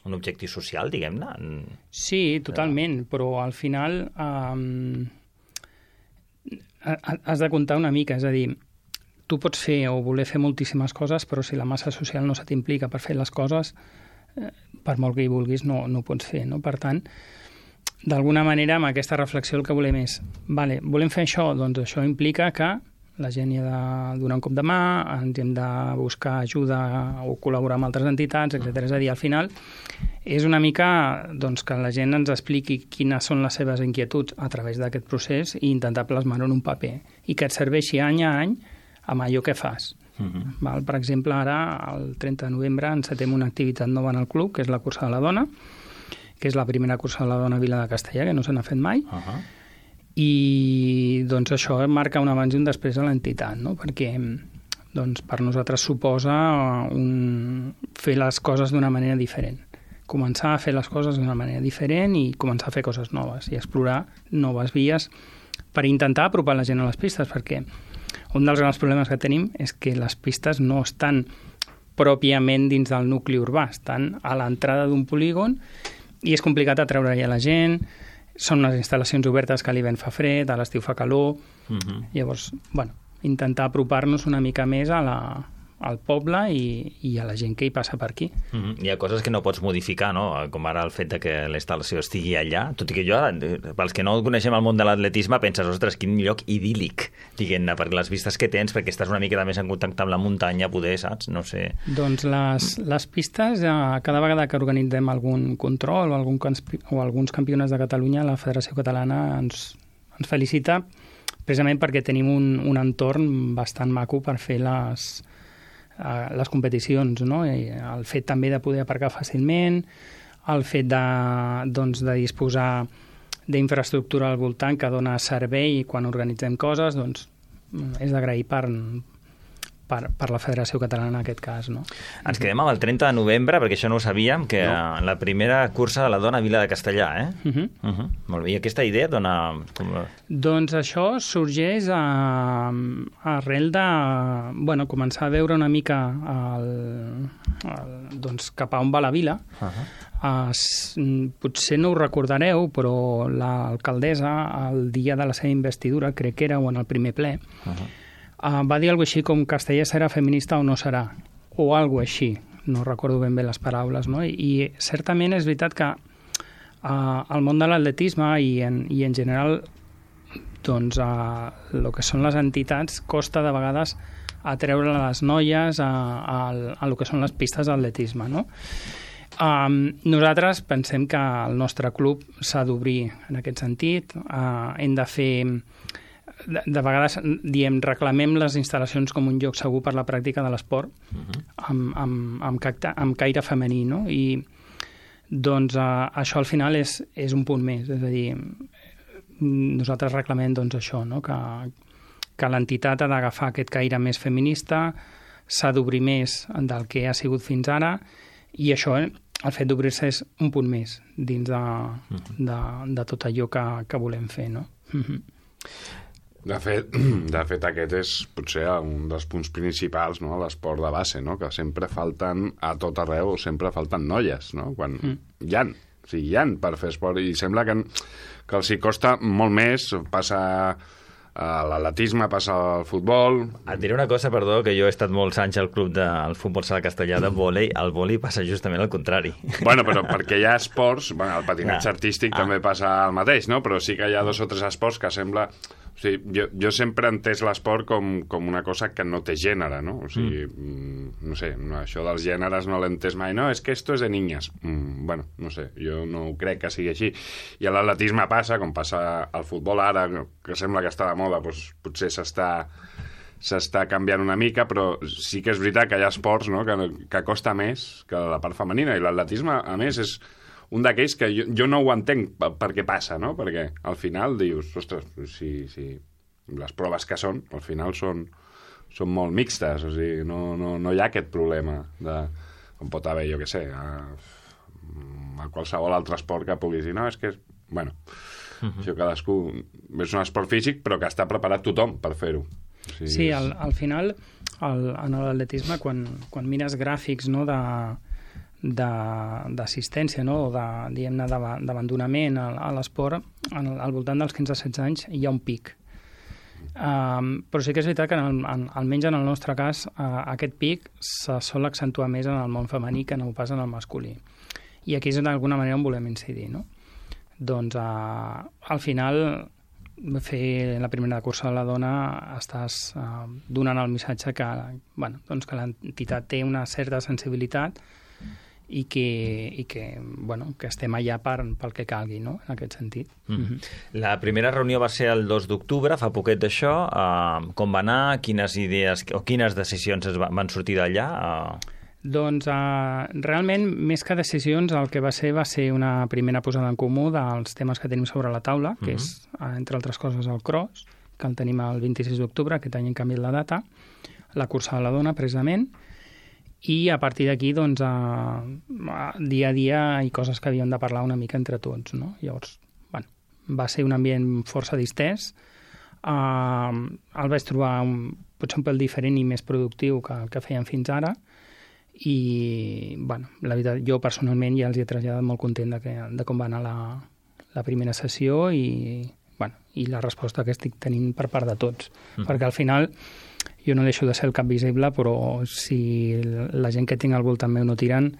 un objectiu social, diguem-ne? Sí, totalment, però al final um, has de comptar una mica, és a dir, tu pots fer o voler fer moltíssimes coses, però si la massa social no se t'implica per fer les coses, eh, per molt que hi vulguis, no, no ho pots fer, no? Per tant, d'alguna manera, amb aquesta reflexió el que volem és, vale, volem fer això, doncs això implica que la gent hi ha de donar un cop de mà, ens hem de buscar ajuda o col·laborar amb altres entitats, etcètera. És a dir, al final és una mica doncs, que la gent ens expliqui quines són les seves inquietuds a través d'aquest procés i intentar plasmar-ho en un paper i que et serveixi any a any amb allò que fas. Uh-huh. Val? Per exemple, ara, el trenta de novembre, encetem una activitat nova en el club, que és la cursa de la dona, que és la primera cursa de la dona a Vila de Castellà, que no se n'ha fet mai, uh-huh. i doncs això marca un abans i un després a l'entitat, no? Perquè doncs, per nosaltres suposa un... fer les coses d'una manera diferent. Començar a fer les coses d'una manera diferent i començar a fer coses noves i explorar noves vies per intentar apropar la gent a les pistes, perquè un dels grans problemes que tenim és que les pistes no estan pròpiament dins del nucli urbà, estan a l'entrada d'un polígon i és complicat atreure-hi a la gent. Són unes instal·lacions obertes que a l'hivern fa fred, a l'estiu fa calor. Uh-huh. Llavors, bueno, intentar apropar-nos una mica més a la, al poble i, i a la gent que hi passa per aquí. Uh-huh. Hi ha coses que no pots modificar, no? Com ara el fet de que la instal·lació estigui allà, tot i que jo, pels que no coneixem el món de l'atletisme, penses, ostres, quin lloc idíl·lic, diguem-ne, perquè les vistes que tens, perquè estàs una mica més en contacte amb la muntanya, poder, saps? No sé. Doncs les, les pistes, cada vegada que organitzem algun control o, algun, o alguns campionats de Catalunya, la Federació Catalana ens, ens felicita precisament perquè tenim un, un entorn bastant maco per fer les, les competicions, no? I el fet també de poder aparcar fàcilment, el fet de, doncs, de disposar d'infraestructura al voltant que dona servei quan organitzem coses, doncs és d'agrair per, per, per la Federació Catalana en aquest cas, no? Ens quedem amb el trenta de novembre, perquè això no ho sabíem, que no. La primera cursa de la dona a Vila de Castellà, eh? Uh-huh. Uh-huh. Molt bé. I aquesta idea dona... Com... Doncs això sorgeix a, arrel de bueno, començar a veure una mica el, el, doncs, cap a on va la vila. Uh-huh. Uh, potser no ho recordareu, però l'alcaldessa, el dia de la seva investidura, crec que era o en el primer ple, uh-huh. uh, va dir alguna cosa així com Castellà serà feminista o no serà, o alguna cosa així, no recordo ben bé les paraules, no? I, i certament és veritat que uh, el món de l'atletisme i, en, i en general doncs uh, el que són les entitats costa de vegades atreure les noies a, a, a el que són les pistes d'atletisme, no? Um, nosaltres pensem que el nostre club s'ha d'obrir en aquest sentit, uh, hem de fer de, de vegades diem reclamem les instal·lacions com un lloc segur per la pràctica de l'esport uh-huh. amb, amb, amb, cacta, amb caire femení, no? I doncs uh, això al final és, és un punt més, és a dir, nosaltres reclamem doncs això, no? que, que l'entitat ha d'agafar aquest caire més feminista, s'ha d'obrir més del que ha sigut fins ara i això, eh, el fet d'obrir-se és un punt més dins de, de, de tot allò que, que volem fer, no? De fet, de fet, aquest és potser un dels punts principals, no?, a l'esport de base, no?, que sempre falten a tot arreu, sempre falten noies, no?, quan mm. hi ha, o sigui, hi ha per fer esport i sembla que, que els hi costa molt més, passa... l'atletisme, passa al futbol... Et diré una cosa, perdó, que jo he estat molts anys al club del futbol sala castellà de vòlei, el vòlei passa justament al contrari. Bueno, però perquè hi ha esports, bueno, el patinatge no. artístic ah. també passa el mateix, no? Però sí que hi ha dos o tres esports que sembla... O sigui, jo, jo sempre he entès l'esport com, com una cosa que no té gènere, no? O sigui, mm. no sé, no, això dels gèneres no l'he entès mai. No, és que esto es de niñas. Mm, bueno, no sé, jo no crec que sigui així. I a l'atletisme passa, com passa al futbol ara, que sembla que està de moda, doncs potser s'està s'està canviant una mica, però sí que és veritat que hi ha esports, no?, que, que costa més que la part femenina, i l'atletisme, a més, és un d'aquells que jo, jo no ho entenc per, per què passa, no? Perquè al final dius, ostres, si, si les proves que són, al final són, són molt mixtes, o sigui, no, no, no hi ha aquest problema de, com pot haver, jo què sé, a, a qualsevol altre esport que puguis dir, no, és que, bueno, uh-huh. això cadascú, és un esport físic, però que està preparat tothom per fer-ho. O sigui, sí, al, al final, el, en l'atletisme, quan, quan mires gràfics, no, de d'assistència, no? O de, diguem-ne, d'abandonament a, a l'esport, al voltant dels quinze a setze anys hi ha un pic. Um, però sí que és veritat que, en el, en, almenys en el nostre cas, uh, aquest pic se sol accentuar més en el món femení que no ho pas en el masculí. I aquí és d'alguna manera on volem incidir, no? Doncs uh, al final, fer la primera cursa de la dona estàs uh, donant el missatge que, bueno, doncs que l'entitat té una certa sensibilitat i que, i que, bueno, que estem allà per, pel que calgui, no?, en aquest sentit. Mm. Mm-hmm. La primera reunió va ser el dos d'octubre, fa poquet d'això. Uh, com va anar? Quines idees o quines decisions es va, van sortir d'allà? Uh... Doncs uh, realment, més que decisions, el que va ser va ser una primera posada en comú dels temes que tenim sobre la taula, que mm-hmm. és, uh, entre altres coses, el cross, que el tenim el vint-i-sis d'octubre, aquest any hem canviat la data, la cursa de la dona, precisament, i a partir d'aquí, doncs, a, a, dia a dia hi ha coses que havíem de parlar una mica entre tots, no? Llavors, bueno, va ser un ambient força distès. Uh, el vaig trobar un, potser un pèl diferent i més productiu que el que fèiem fins ara, i, bueno, la veritat, jo personalment ja els he traslladat molt content de, que, de com va anar la, la primera sessió i, bueno, i la resposta que estic tenint per part de tots. Mm. Perquè al final jo no deixo de ser el cap visible, però si la gent que tinc al voltant meu no tiren,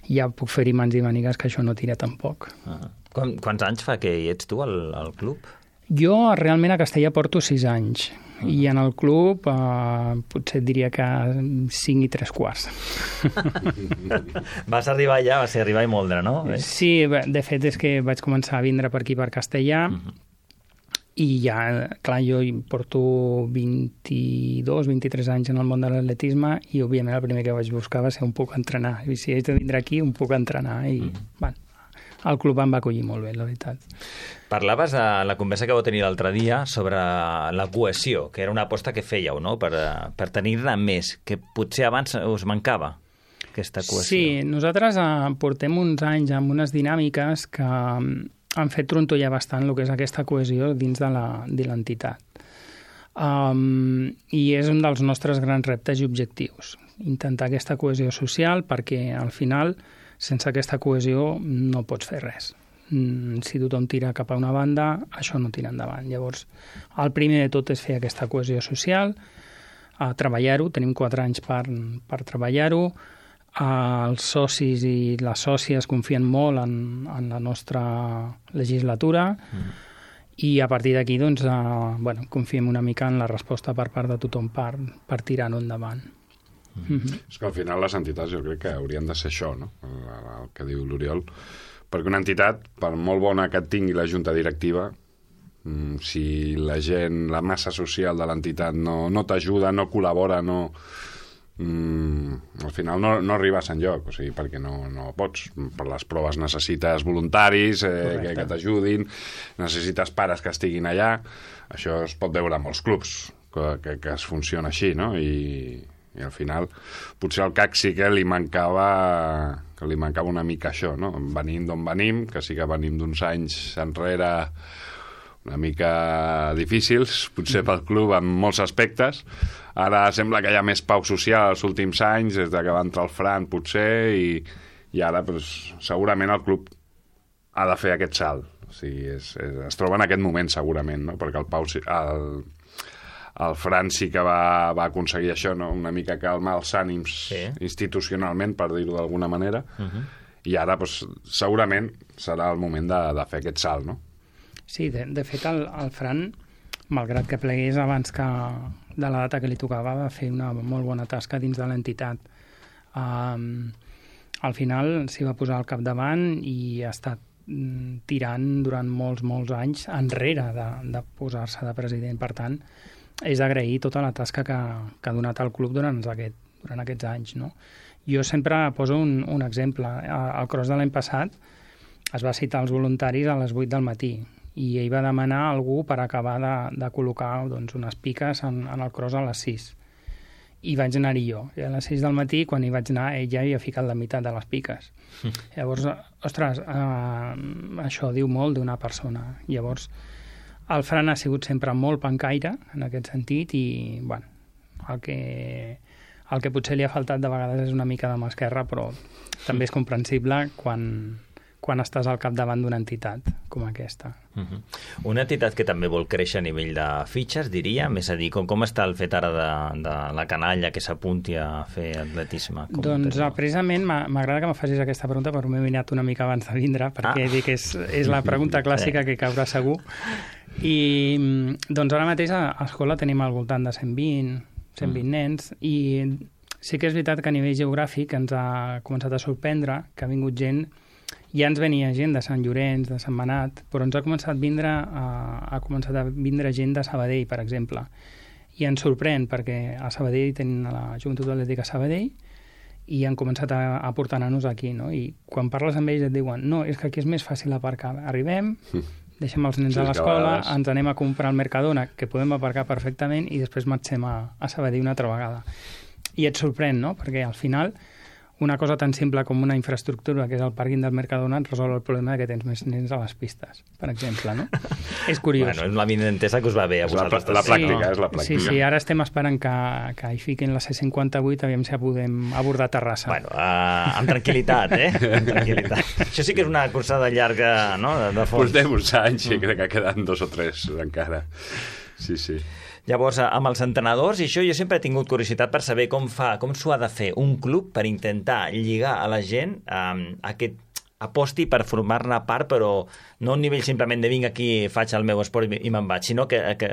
ja puc fer-hi mans i mànigues que això no tira tampoc. Ah. Quant, quants anys fa que hi ets tu al, al club? Jo realment a Castellà porto sis anys. Uh-huh. I en el club eh, potser et diria que cinc i tres quarts. Vas arribar allà, va ser arribar i moldre, no? Sí, de fet és que vaig començar a vindre per aquí, per Castellà, uh-huh. i ja, clar, jo porto vint-i-dos, vint-i-tres anys en el món de l'atletisme i, òbviament, el primer que vaig buscar va ser on puc entrenar. I si haig de vindre aquí, on puc entrenar. I, uh-huh. bueno, el club em va acollir molt bé, la veritat. Parlaves a la conversa que vau tenir l'altre dia sobre la cohesió, que era una aposta que fèieu, no?, per, per tenir-ne més, que potser abans us mancava, aquesta cohesió. Sí, nosaltres eh, portem uns anys amb unes dinàmiques que han fet trontollar bastant el que és aquesta cohesió dins de l'entitat. Um, I és un dels nostres grans reptes i objectius, intentar aquesta cohesió social, perquè al final, sense aquesta cohesió, no pots fer res. Si tothom tira cap a una banda, això no tira endavant. Llavors, el primer de tot és fer aquesta cohesió social, a treballar-ho, tenim quatre anys per, per treballar-ho, els socis i les sòcies confien molt en, en la nostra legislatura, mm. i a partir d'aquí, doncs, eh, bueno, confiem una mica en la resposta per part de tothom per, per tirar-ho endavant. Mm. Mm-hmm. És que al final les entitats jo crec que haurien de ser això, no?, el, el que diu l'Oriol, perquè una entitat, per molt bona que tingui la junta directiva, si la gent, la massa social de l'entitat no, no t'ajuda, no col·labora, no... Mm, al final no, no arribes enlloc, o sigui, perquè no, no pots. Per les proves necessites voluntaris eh, que, que t'ajudin, necessites pares que estiguin allà. Això es pot veure en molts clubs que, que, que es funciona així, no? I, i al final potser al C A C sí que li mancava que li mancava una mica això, no? Venim d'on venim, que sí que venim d'uns anys enrere una mica difícils, potser pel club en molts aspectes. Ara sembla que hi ha més pau social els últims anys, des que va entrar el Fran, potser, i, i ara doncs, segurament el club ha de fer aquest salt. O sigui, és, és, es troba en aquest moment, segurament, no? Perquè el Pau, el, el Fran sí que va, va aconseguir això, no? Una mica calmar els ànims sí. institucionalment, per dir-ho d'alguna manera, uh-huh. i ara doncs, segurament serà el moment de, de fer aquest salt, no? Sí, de, de fet, el, el Fran, malgrat que plegués abans que de la data que li tocava, va fer una molt bona tasca dins de l'entitat. Um, al final s'hi va posar al capdavant i ha estat mm, tirant durant molts, molts anys enrere de, de posar-se de president. Per tant, és d'agrair tota la tasca que, que ha donat al club durant, aquest, durant aquests anys, no? Jo sempre poso un, un exemple. Al cross de l'any passat es va citar els voluntaris a les vuit del matí i ell va demanar a algú per acabar de, de col·locar doncs, unes piques en, en el cross a les sis. I vaig anar-hi jo. I a les sis del matí, quan hi vaig anar, ell ja havia ficat la meitat de les piques. Llavors, ostres, eh, això diu molt d'una persona. Llavors, el Fran ha sigut sempre molt pencaire, en aquest sentit, i, bueno, el que, el que potser li ha faltat de vegades és una mica de mà esquerra, però també és comprensible quan, quan estàs al capdavant d'una entitat com aquesta. Uh-huh. Una entitat que també vol créixer a nivell de fitxes, diria, més a dir, com, com està el fet ara de, de la canalla que s'apunti a fer atletisme? Com doncs teniu? Precisament m'agrada que me facis aquesta pregunta, però m'he mirat una mica abans de vindre, perquè ah. dic que és, és la pregunta clàssica que caurà segur. I doncs ara mateix a l'escola tenim al voltant de cent vint, cent vint mm. nens, i sí que és veritat que a nivell geogràfic ens ha començat a sorprendre que ha vingut gent. Ja ens venia gent de Sant Llorenç, de Sant Manat, però ens ha començat a vindre, a, ha començat a vindre gent de Sabadell, per exemple. I ens sorprèn perquè a Sabadell tenen la Joventut Atlètica Sabadell i han començat a, a portar nanos aquí, no? I quan parles amb ells et diuen no, és que aquí és més fàcil aparcar. Arribem, deixem els nens sí, a l'escola, ens anem a comprar al Mercadona, que podem aparcar perfectament, i després marxem a, a Sabadell una altra vegada. I et sorprèn, no? Perquè al final una cosa tan simple com una infraestructura, que és el pàrquing del Mercadona, et resol el problema que tens més nens a les pistes, per exemple, no? És curiós. Bueno, és la vinentesa que us va bé a vosaltres. La, la pràctica, sí. és la pràctica. Sí, sí, ara estem esperant que, que hi fiquin la C cinquanta-vuit, aviam si podem abordar Terrassa. Bueno, uh, amb tranquil·litat, eh? Amb tranquil·litat. Això sí que és una cursada llarga, no?, de, de fons. Portem uns anys i crec que queden dos o tres encara. Sí, sí. Llavors, amb els entrenadors, i això jo sempre he tingut curiositat per saber com fa, com s'ho ha de fer un club per intentar lligar a la gent um, aquest aposti per formar-ne part, però no a un nivell simplement de vinc aquí, faig el meu esport i me'n vaig, sinó que, que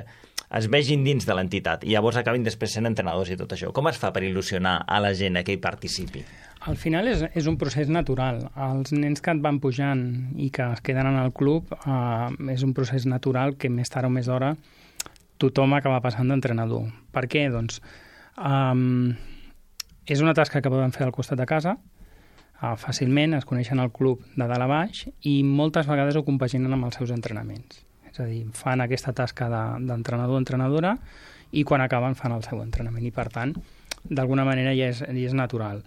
es vegin dins de l'entitat i llavors acabin després sent entrenadors i tot això. Com es fa per il·lusionar a la gent a que hi participi? Al final és, és un procés natural. Els nens que et van pujant i que es queden en el club uh, és un procés natural que més tard o més d'hora tothom acaba passant d'entrenador. Per què? Doncs um, és una tasca que poden fer al costat de casa, uh, fàcilment, es coneixen al club de dalt a baix i moltes vegades ho compaginen amb els seus entrenaments. És a dir, fan aquesta tasca d'entrenador o entrenadora i quan acaben fan el seu entrenament i, per tant, d'alguna manera ja és, ja és natural.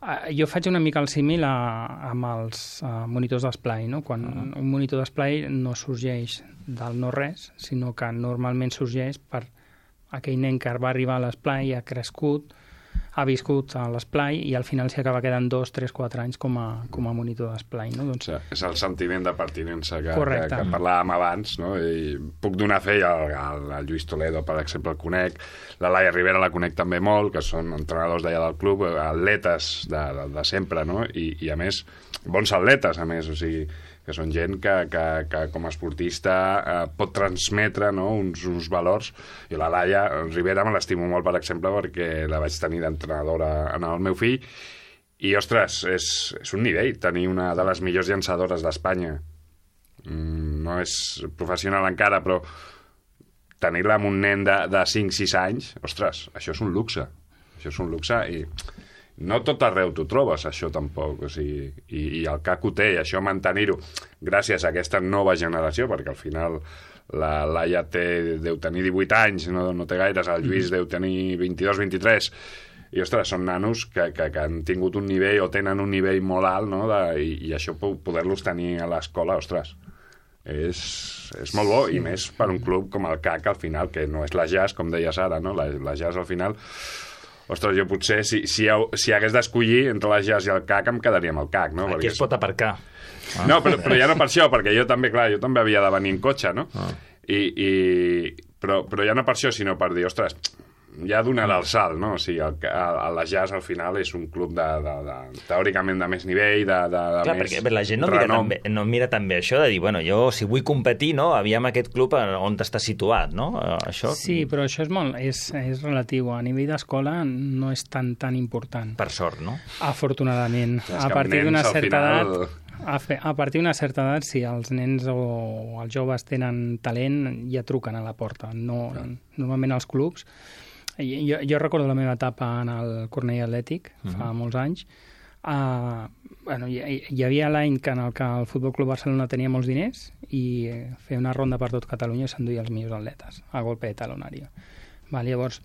Uh, jo faig una mica el símil a, amb els uh, monitors d'esplai, no? Quan uh-huh. un monitor d'esplai no sorgeix del no-res, sinó que normalment sorgeix per aquell nen que va arribar a l'esplai, ha crescut, ha viscut a l'esplai i al final s'hi acaba quedant dos, tres, quatre anys com a, com a monitor d'esplai. No? Doncs... Sí, és el sentiment de pertinença que, que, que parlàvem abans, no? I puc donar fe al, al, al Lluís Toledo, per exemple, el conec, la Laia Rivera la conec també molt, que són entrenadors d'allà del club, atletes de, de, de sempre, no? I, i a més, bons atletes, a més, o sigui, que són gent que, que, que com a esportista eh, pot transmetre, no?, uns, uns valors. I la Laia Rivera me l'estimo molt, per exemple, perquè la vaig tenir d'entrenadora en el meu fill. I, ostres, és, és un nivell tenir una de les millors llançadores d'Espanya. Mm, no és professional encara, però tenir-la amb un nen de, de cinc sis anys, ostres, això és un luxe. Això és un luxe i... No tot arreu t'ho trobes, això tampoc, o sigui, i, i el C A C ho té, i això mantenir-ho gràcies a aquesta nova generació, perquè al final la Laia té, deu tenir divuit anys, no, no té gaires, el Lluís deu tenir vint-i-dos vint-i-tres, i ostres, són nanos que, que, que han tingut un nivell o tenen un nivell molt alt, no? de, i, i això poder-los tenir a l'escola, ostres, és, és molt bo, sí. I més per un club com el C A C, al final, que no és la Jazz, com deies ara, no? la, la Jazz al final... Ostres, jo potser, si, si, si hagués d'escollir entre la Jazz i el C A C, em quedaria amb el C A C, no? Aquí perquè es pot aparcar. Ah. No, però, però ja no per això, perquè jo també, clar, jo també havia de venir en cotxe, no? Ah. I, i... Però, però ja no per això, sinó per dir, ostres, ja donarà el salt, no? O sigui, el, el, el, la Jazz al final és un club de, de, de, teòricament de més nivell, de, de, de clar, més perquè la gent no mira, també, no mira també això de dir, bueno, jo si vull competir, no, aviam aquest club on està situat, no? Això... Sí, però això és molt, és, és relatiu. A nivell d'escola no és tan tan important. Per sort, no? Afortunadament. A partir d'una certa final... edat... A, fe, a partir d'una certa edat, si els nens o els joves tenen talent, ja truquen a la porta. No, normalment els clubs Jo, jo recordo la meva etapa en el Cornell Atlètic, uh-huh. fa molts anys. Uh, bueno, hi, hi havia l'any en el que el Futbol Club Barcelona tenia molts diners i feia una ronda per tot Catalunya i s'enduia els millors atletes, a golpe de talonària. Val, llavors,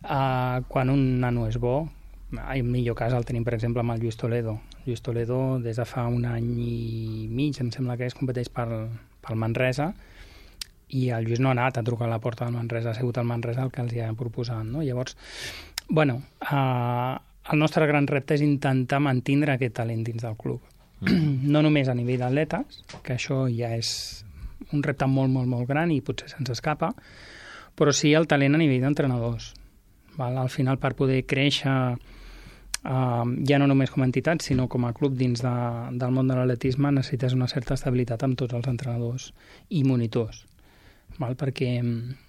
uh, quan un nano és bo, en millor cas el tenim, per exemple, amb el Lluís Toledo. Lluís Toledo, des de fa un any i mig, em sembla que es competeix pel, pel Manresa, i el Lluís no ha anat a trucar a la porta del Manresa, ha sigut el Manresa el que els hi ha proposat, no? Llavors, bueno, eh, el nostre gran repte és intentar mantindre aquest talent dins del club. Mm. No només a nivell d'atletes, que això ja és un repte molt, molt, molt gran i potser se'ns escapa, però sí el talent a nivell d'entrenadors. Val? Al final, per poder créixer, eh, ja no només com a entitat, sinó com a club dins de, del món de l'atletisme, necessites una certa estabilitat amb tots els entrenadors i monitors. Val? Perquè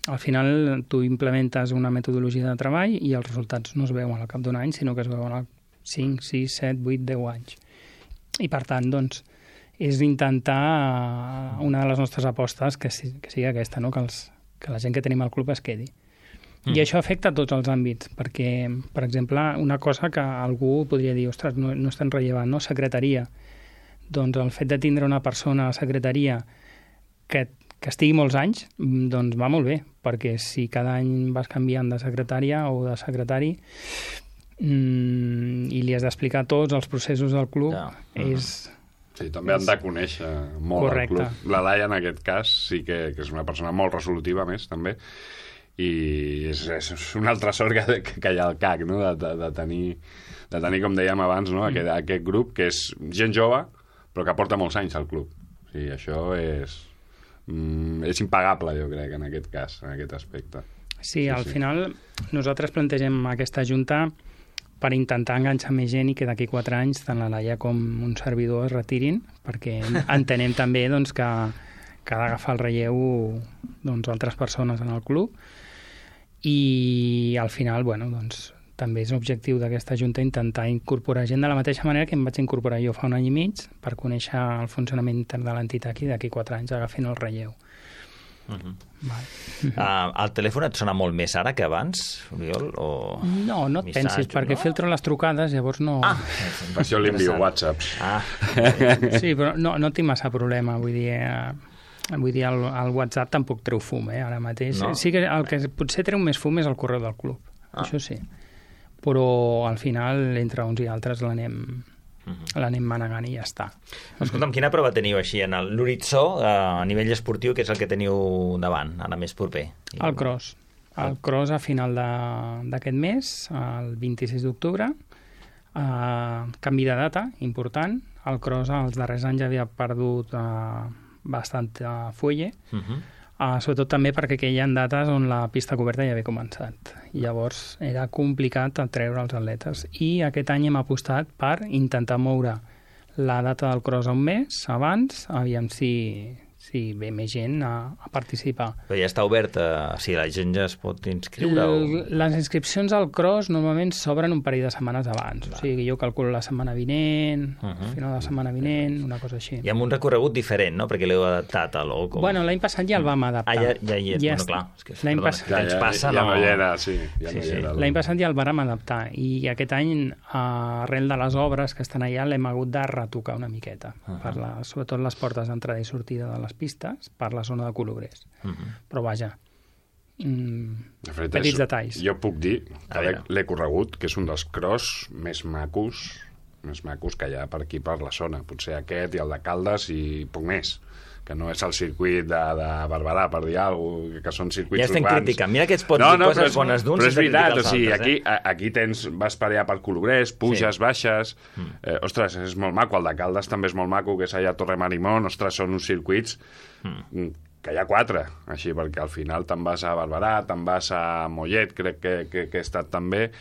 al final tu implementes una metodologia de treball i els resultats no es veuen al cap d'un any, sinó que es veuen al cinc, sis, set, vuit, deu anys. I per tant, doncs, és intentar una de les nostres apostes que, si, que sigui aquesta, no? que, els, que la gent que tenim al club es quedi. Mm. I això afecta a tots els àmbits, perquè, per exemple, una cosa que algú podria dir, ostres, no, no és tan rellevant, no? Secretaria. Doncs el fet de tindre una persona a secretaria que que estigui molts anys, doncs va molt bé, perquè si cada any vas canviant de secretària o de secretari mmm, i li has d'explicar tots els processos del club, ja. és... Sí, també han de conèixer molt correcte. El club. La Laia, en aquest cas, sí que, que és una persona molt resolutiva, més, també, i és, és una altra sort que, que hi ha al C A C, no? de, de, de, tenir, de tenir, com dèiem abans, no? aquest, aquest grup, que és gent jove, però que porta molts anys al club. O sigui, això és... Mm, és impagable, jo crec, en aquest cas, en aquest aspecte. Sí, sí al sí. final nosaltres plantegem aquesta junta per intentar enganxar més gent i que d'aquí quatre anys tant la Laia com un servidor es retirin, perquè entenem també doncs, que, que ha d'agafar el relleu doncs, altres persones en el club i al final, bueno, doncs també és l'objectiu d'aquesta junta intentar incorporar gent de la mateixa manera que em vaig incorporar jo fa un any i mig per conèixer el funcionament intern de l'entitat i d'aquí quatre anys agafin el relleu. Uh-huh. Vale. Uh, el telèfon et sona molt més ara que abans, Oriol? O... No, no et missatge, pensis, perquè no? filtro les trucades, llavors no... Ah, per això li envio whatsapps. Ah. Sí, però no, no tinc massa problema, vull dir... Eh, vull dir, el, el WhatsApp tampoc treu fum, eh, ara mateix. No. Sí que el que potser treu més fum és el correu del club, ah. això sí. Però al final, entre uns i altres, l'anem uh-huh. l'anem manegant i ja està. Escolta'm, quina prova teniu així en l'horitzó eh, a nivell esportiu, que és el que teniu davant, ara més proper? El cross. El cross a final d'aquest mes, el vint-i-sis d'octubre, eh, canvi de data, important. El cross els darrers anys havia perdut eh, bastant uh, fuelle, uh-huh. Uh, sobretot també perquè hi ha dates on la pista coberta ja havia començat. Llavors era complicat treure els atletes. I aquest any hem apostat per intentar moure la data del cross a un mes abans, aviam si, si ve més gent a, a participar. Però ja està obert, a, si la gent ja es pot inscriure? L o... Les inscripcions al cross normalment s'obren un parell de setmanes abans. Clar. O sigui, jo calculo la setmana vinent, uh -huh. final de la setmana vinent, una cosa així. I amb un recorregut diferent, no? Perquè l'heu adaptat a l'O. Com... Bueno, l'any passat ja el vam adaptar. Ah, ja, ja hi és, ja bueno, clar. És que, l'any pas... ja, ja, passa, ja no... no hi era, sí. Ja sí, no sí. era, l'any passat ja el vàrem adaptar i aquest any, arrel de les obres que estan allà, l'hem hagut de retocar una miqueta. Uh -huh. per la, sobretot les portes d'entrada i sortida de les pistes, per la zona de colobrers. Uh -huh. Però vaja, mm, fet, petits és, detalls. Jo puc dir que l'he corregut, que és un dels cross més macos més macos que hi ha per aquí, per la zona. Potser aquest i el de Caldes i poc més, que no és el circuit de, de Barberà, per dir alguna cosa, que són circuits urbans. Ja estem urbans. criticant. Mira que ets pots no, dir no, coses és, bones d'uns. Però és veritat, o sigui, altres, aquí, eh? aquí tens, vas per allà per Colobrers, puges, sí. baixes... Mm. Eh, ostres, és molt maco. El de Caldes també és molt maco, que és allà a Torre Marimón. Ostres, són uns circuits... Mm. que hi ha quatre, així, perquè al final te'n vas a Barberà, te'n vas a Mollet, crec que, que, que he estat també,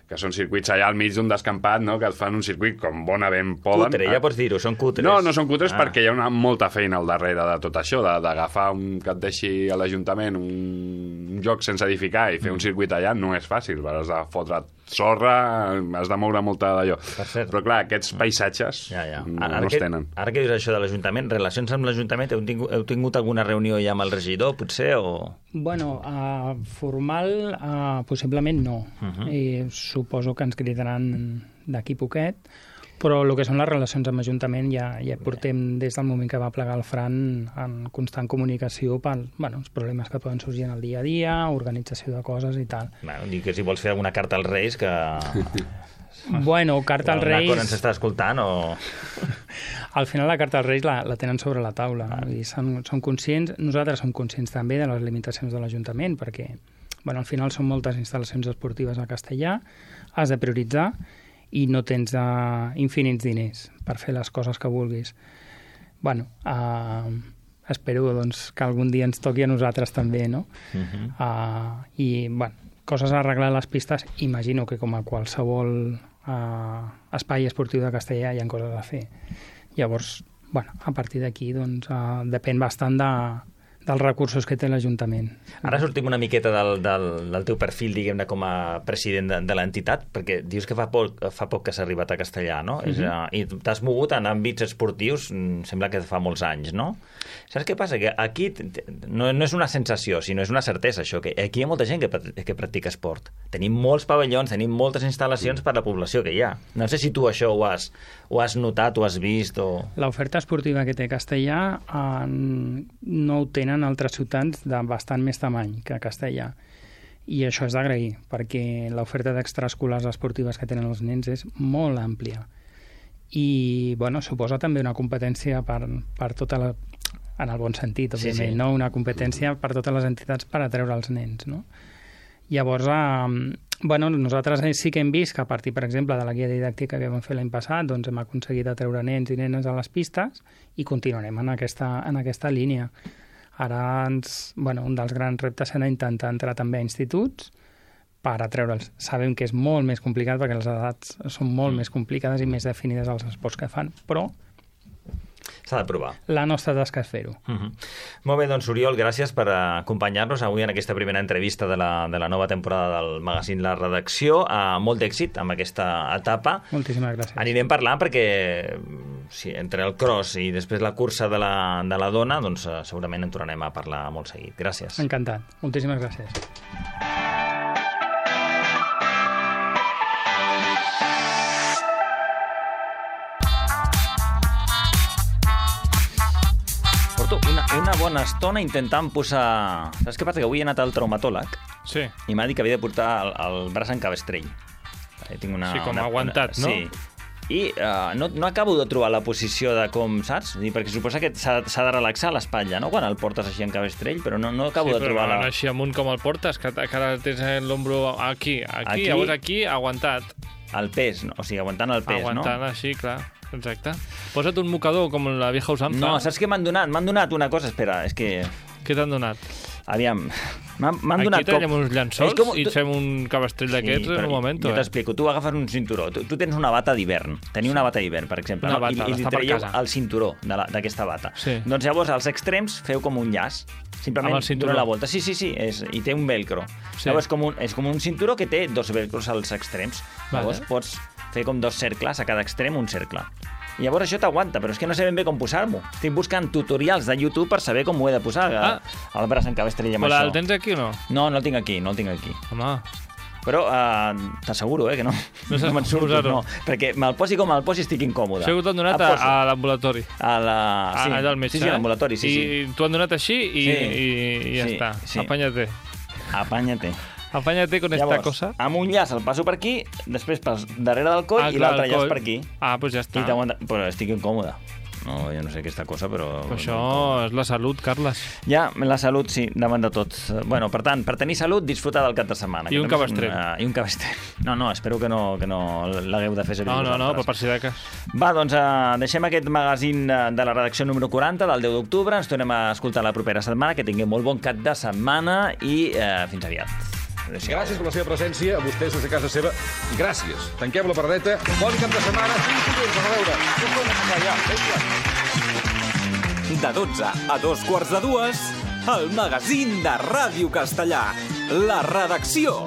que són circuits allà al mig d'un descampat, no?, que et fan un circuit com bonament poden. Cutre, ja pots dir-ho, són cutres. No, no són cutres ah. perquè hi ha una molta feina al darrere de tot això, d'agafar un, que et deixi a l'Ajuntament un, un lloc sense edificar i fer mm. un circuit allà no és fàcil, has de fotre sorra, has de moure molta d'allò. Però clar, aquests paisatges ja, ja. no, Ara no que, els tenen. Ara que dius això de l'Ajuntament, relacions amb l'Ajuntament, heu, tingut, heu tingut alguna reunió ja amb el regidor, potser, o...? Bueno, uh, formal, uh, possiblement no. Uh-huh. I suposo que ens critaran d'aquí poquet, però el que són les relacions amb l'Ajuntament ja, ja portem des del moment que va plegar el Fran en constant comunicació per bueno, els problemes que poden sorgir en el dia a dia, organització de coses i tal. Bueno, dic que si vols fer alguna carta als Reis, que... Bueno, carta als Reis... Una cosa ens està escoltant, o...? Al final la carta als Reis la, la tenen sobre la taula. Ah. Vull dir, són, són conscients, nosaltres som conscients també de les limitacions de l'Ajuntament, perquè bueno, al final són moltes instal·lacions esportives a Castellà, has de prioritzar, i no tens uh, infinits diners per fer les coses que vulguis. Bueno, uh, espero doncs, que algun dia ens toqui a nosaltres també, no? Uh-huh. Uh, I, bueno, coses a arreglar a les pistes, imagino que com a qualsevol uh, espai esportiu de Castellà hi ha coses a fer. Llavors, bueno, a partir d'aquí doncs, uh, depèn bastant de, dels recursos que té l'Ajuntament. Ara sortim una miqueta del, del, del teu perfil, diguem-ne, com a president de, de l'entitat, perquè dius que fa poc, fa poc que s'ha arribat a Castellà, no? Uh-huh. És, uh, I t'has mogut en àmbits esportius, sembla que fa molts anys, no? Saps què passa? Que aquí no, no és una sensació, sinó és una certesa, això, que aquí hi ha molta gent que, que practica esport. Tenim molts pavellons, tenim moltes instal·lacions per la població que hi ha. No sé si tu això ho has, ho has notat, ho has vist, o... L'oferta esportiva que té Castellà eh, no ho tenen en altres ciutats de bastant més tamany que Castellà. I això és d'agrair, perquè l'oferta d'extraescolars esportives que tenen els nens és molt àmplia. I, bueno, suposa també una competència per, per tota la... en el bon sentit, òbviament, sí, sí. No? Una competència per totes les entitats per atreure els nens, no? Llavors, eh, bueno, nosaltres sí que hem vist que a partir, per exemple, de la guia didàctica que vam fer l'any passat, doncs hem aconseguit atreure nens i nenes a les pistes i continuarem en aquesta, en aquesta línia. Ara, ens, bueno, un dels grans reptes serà intentar entrar també a instituts per atreure'ls. Sabem que és molt més complicat perquè les edats són molt mm. més complicades i més definides als esports que fan, però s'ha de provar. La nostra tasca és fer-ho. Uh-huh. Molt bé, doncs, Oriol, gràcies per acompanyar-nos avui en aquesta primera entrevista de la, de la nova temporada del magazín La Redacció. Uh, molt d'èxit amb aquesta etapa. Moltíssimes gràcies. Anirem parlant perquè sí, entre el cross i després la cursa de la, de la dona, doncs uh, segurament en tornarem a parlar molt seguit. Gràcies. Encantat. Moltíssimes gràcies. Una, una bona estona intentant posar... Saps què passa? Que avui he anat al traumatòleg sí. I m'ha dit que havia de portar el, el braç en cabestrell. Tinc una, sí, com una, aguantat, una, no? Sí. I uh, no, no acabo de trobar la posició de com, saps? Perquè suposa que s'ha de relaxar l'espatlla, no? Quan el portes així en cabestrell, però no, no acabo sí, de trobar la... la... així amunt com el portes, que, que ara tens l'ombro aquí, aquí, aquí, llavors aquí, aguantat. El pes, no? O sigui, aguantant el pes, aguantant, no? Aguantant així, clar. Exacte. Posa't un mocador com la vieja usanza. No, saps què m'han donat? M'han donat una cosa, espera, és que... Què t'han donat? Aviam, m'han donat... Aquí tenim uns llençols com... i fem un cabestrell d'aquests sí, en un moment. Jo t'explico, tu agafes un cinturó, tu, tu tens una bata d'hivern, teniu una bata d'hivern, per exemple, una no? bata, I, i li traieu el cinturó d'aquesta bata. Sí. Doncs llavors als extrems feu com un llaç, simplement dona la volta. Sí, sí, sí, és, i té un velcro. Sí. Llavors com un, és com un cinturó que té dos velcros als extrems. Vale. Llavors pots fer com dos cercles, a cada extrem un cercle. I llavors això t'aguanta, però és que no sé ben bé com posar-m'ho. Estic buscant tutorials de YouTube per saber com ho he de posar, ah. el braç en cabestrell amb però això. El tens aquí o no? No, no el tinc aquí, no el tinc aquí. Home... Però uh, t'asseguro, eh, que no, no, no me'n surto, no. Perquè me'l posi com me'l posi estic incòmode. Això t'han donat a, a l'ambulatori. A la... Sí, a, allà al metge, sí, sí, a l'ambulatori, sí, I sí. I t'ho han donat així i, sí. i, i ja sí, està. Sí. Apanya-te. Apanya-te. Apanya-te con Llavors, esta cosa. Amb un llaç el passo per aquí, després per darrere del coll ah, i l'altre llaç per aquí. Ah, doncs ja està. Però estic incòmode. No, jo no sé aquesta cosa, però... però això és la salut, Carles. Ja, la salut, sí, davant de tot. Bueno, per tant, per tenir salut, disfrutar del cap de setmana. I un cabestrell. Uh, I un cabestrell. No, no, espero que no, que no l'hagueu de fer servir no, no, vosaltres. No, però per si de cas. Va, doncs uh, deixem aquest magazín de la redacció número quaranta del deu d'octubre. Ens tornem a escoltar la propera setmana. Que tinguem molt bon cap de setmana i uh, fins aviat. Gràcies per la seva presència, a vostès des de casa seva. Gràcies. Tanquem la paradeta. Bon cap de setmana. Fins dilluns. A veure. De dotze a dos quarts de dues, el magazín de Ràdio Castellà. La redacció.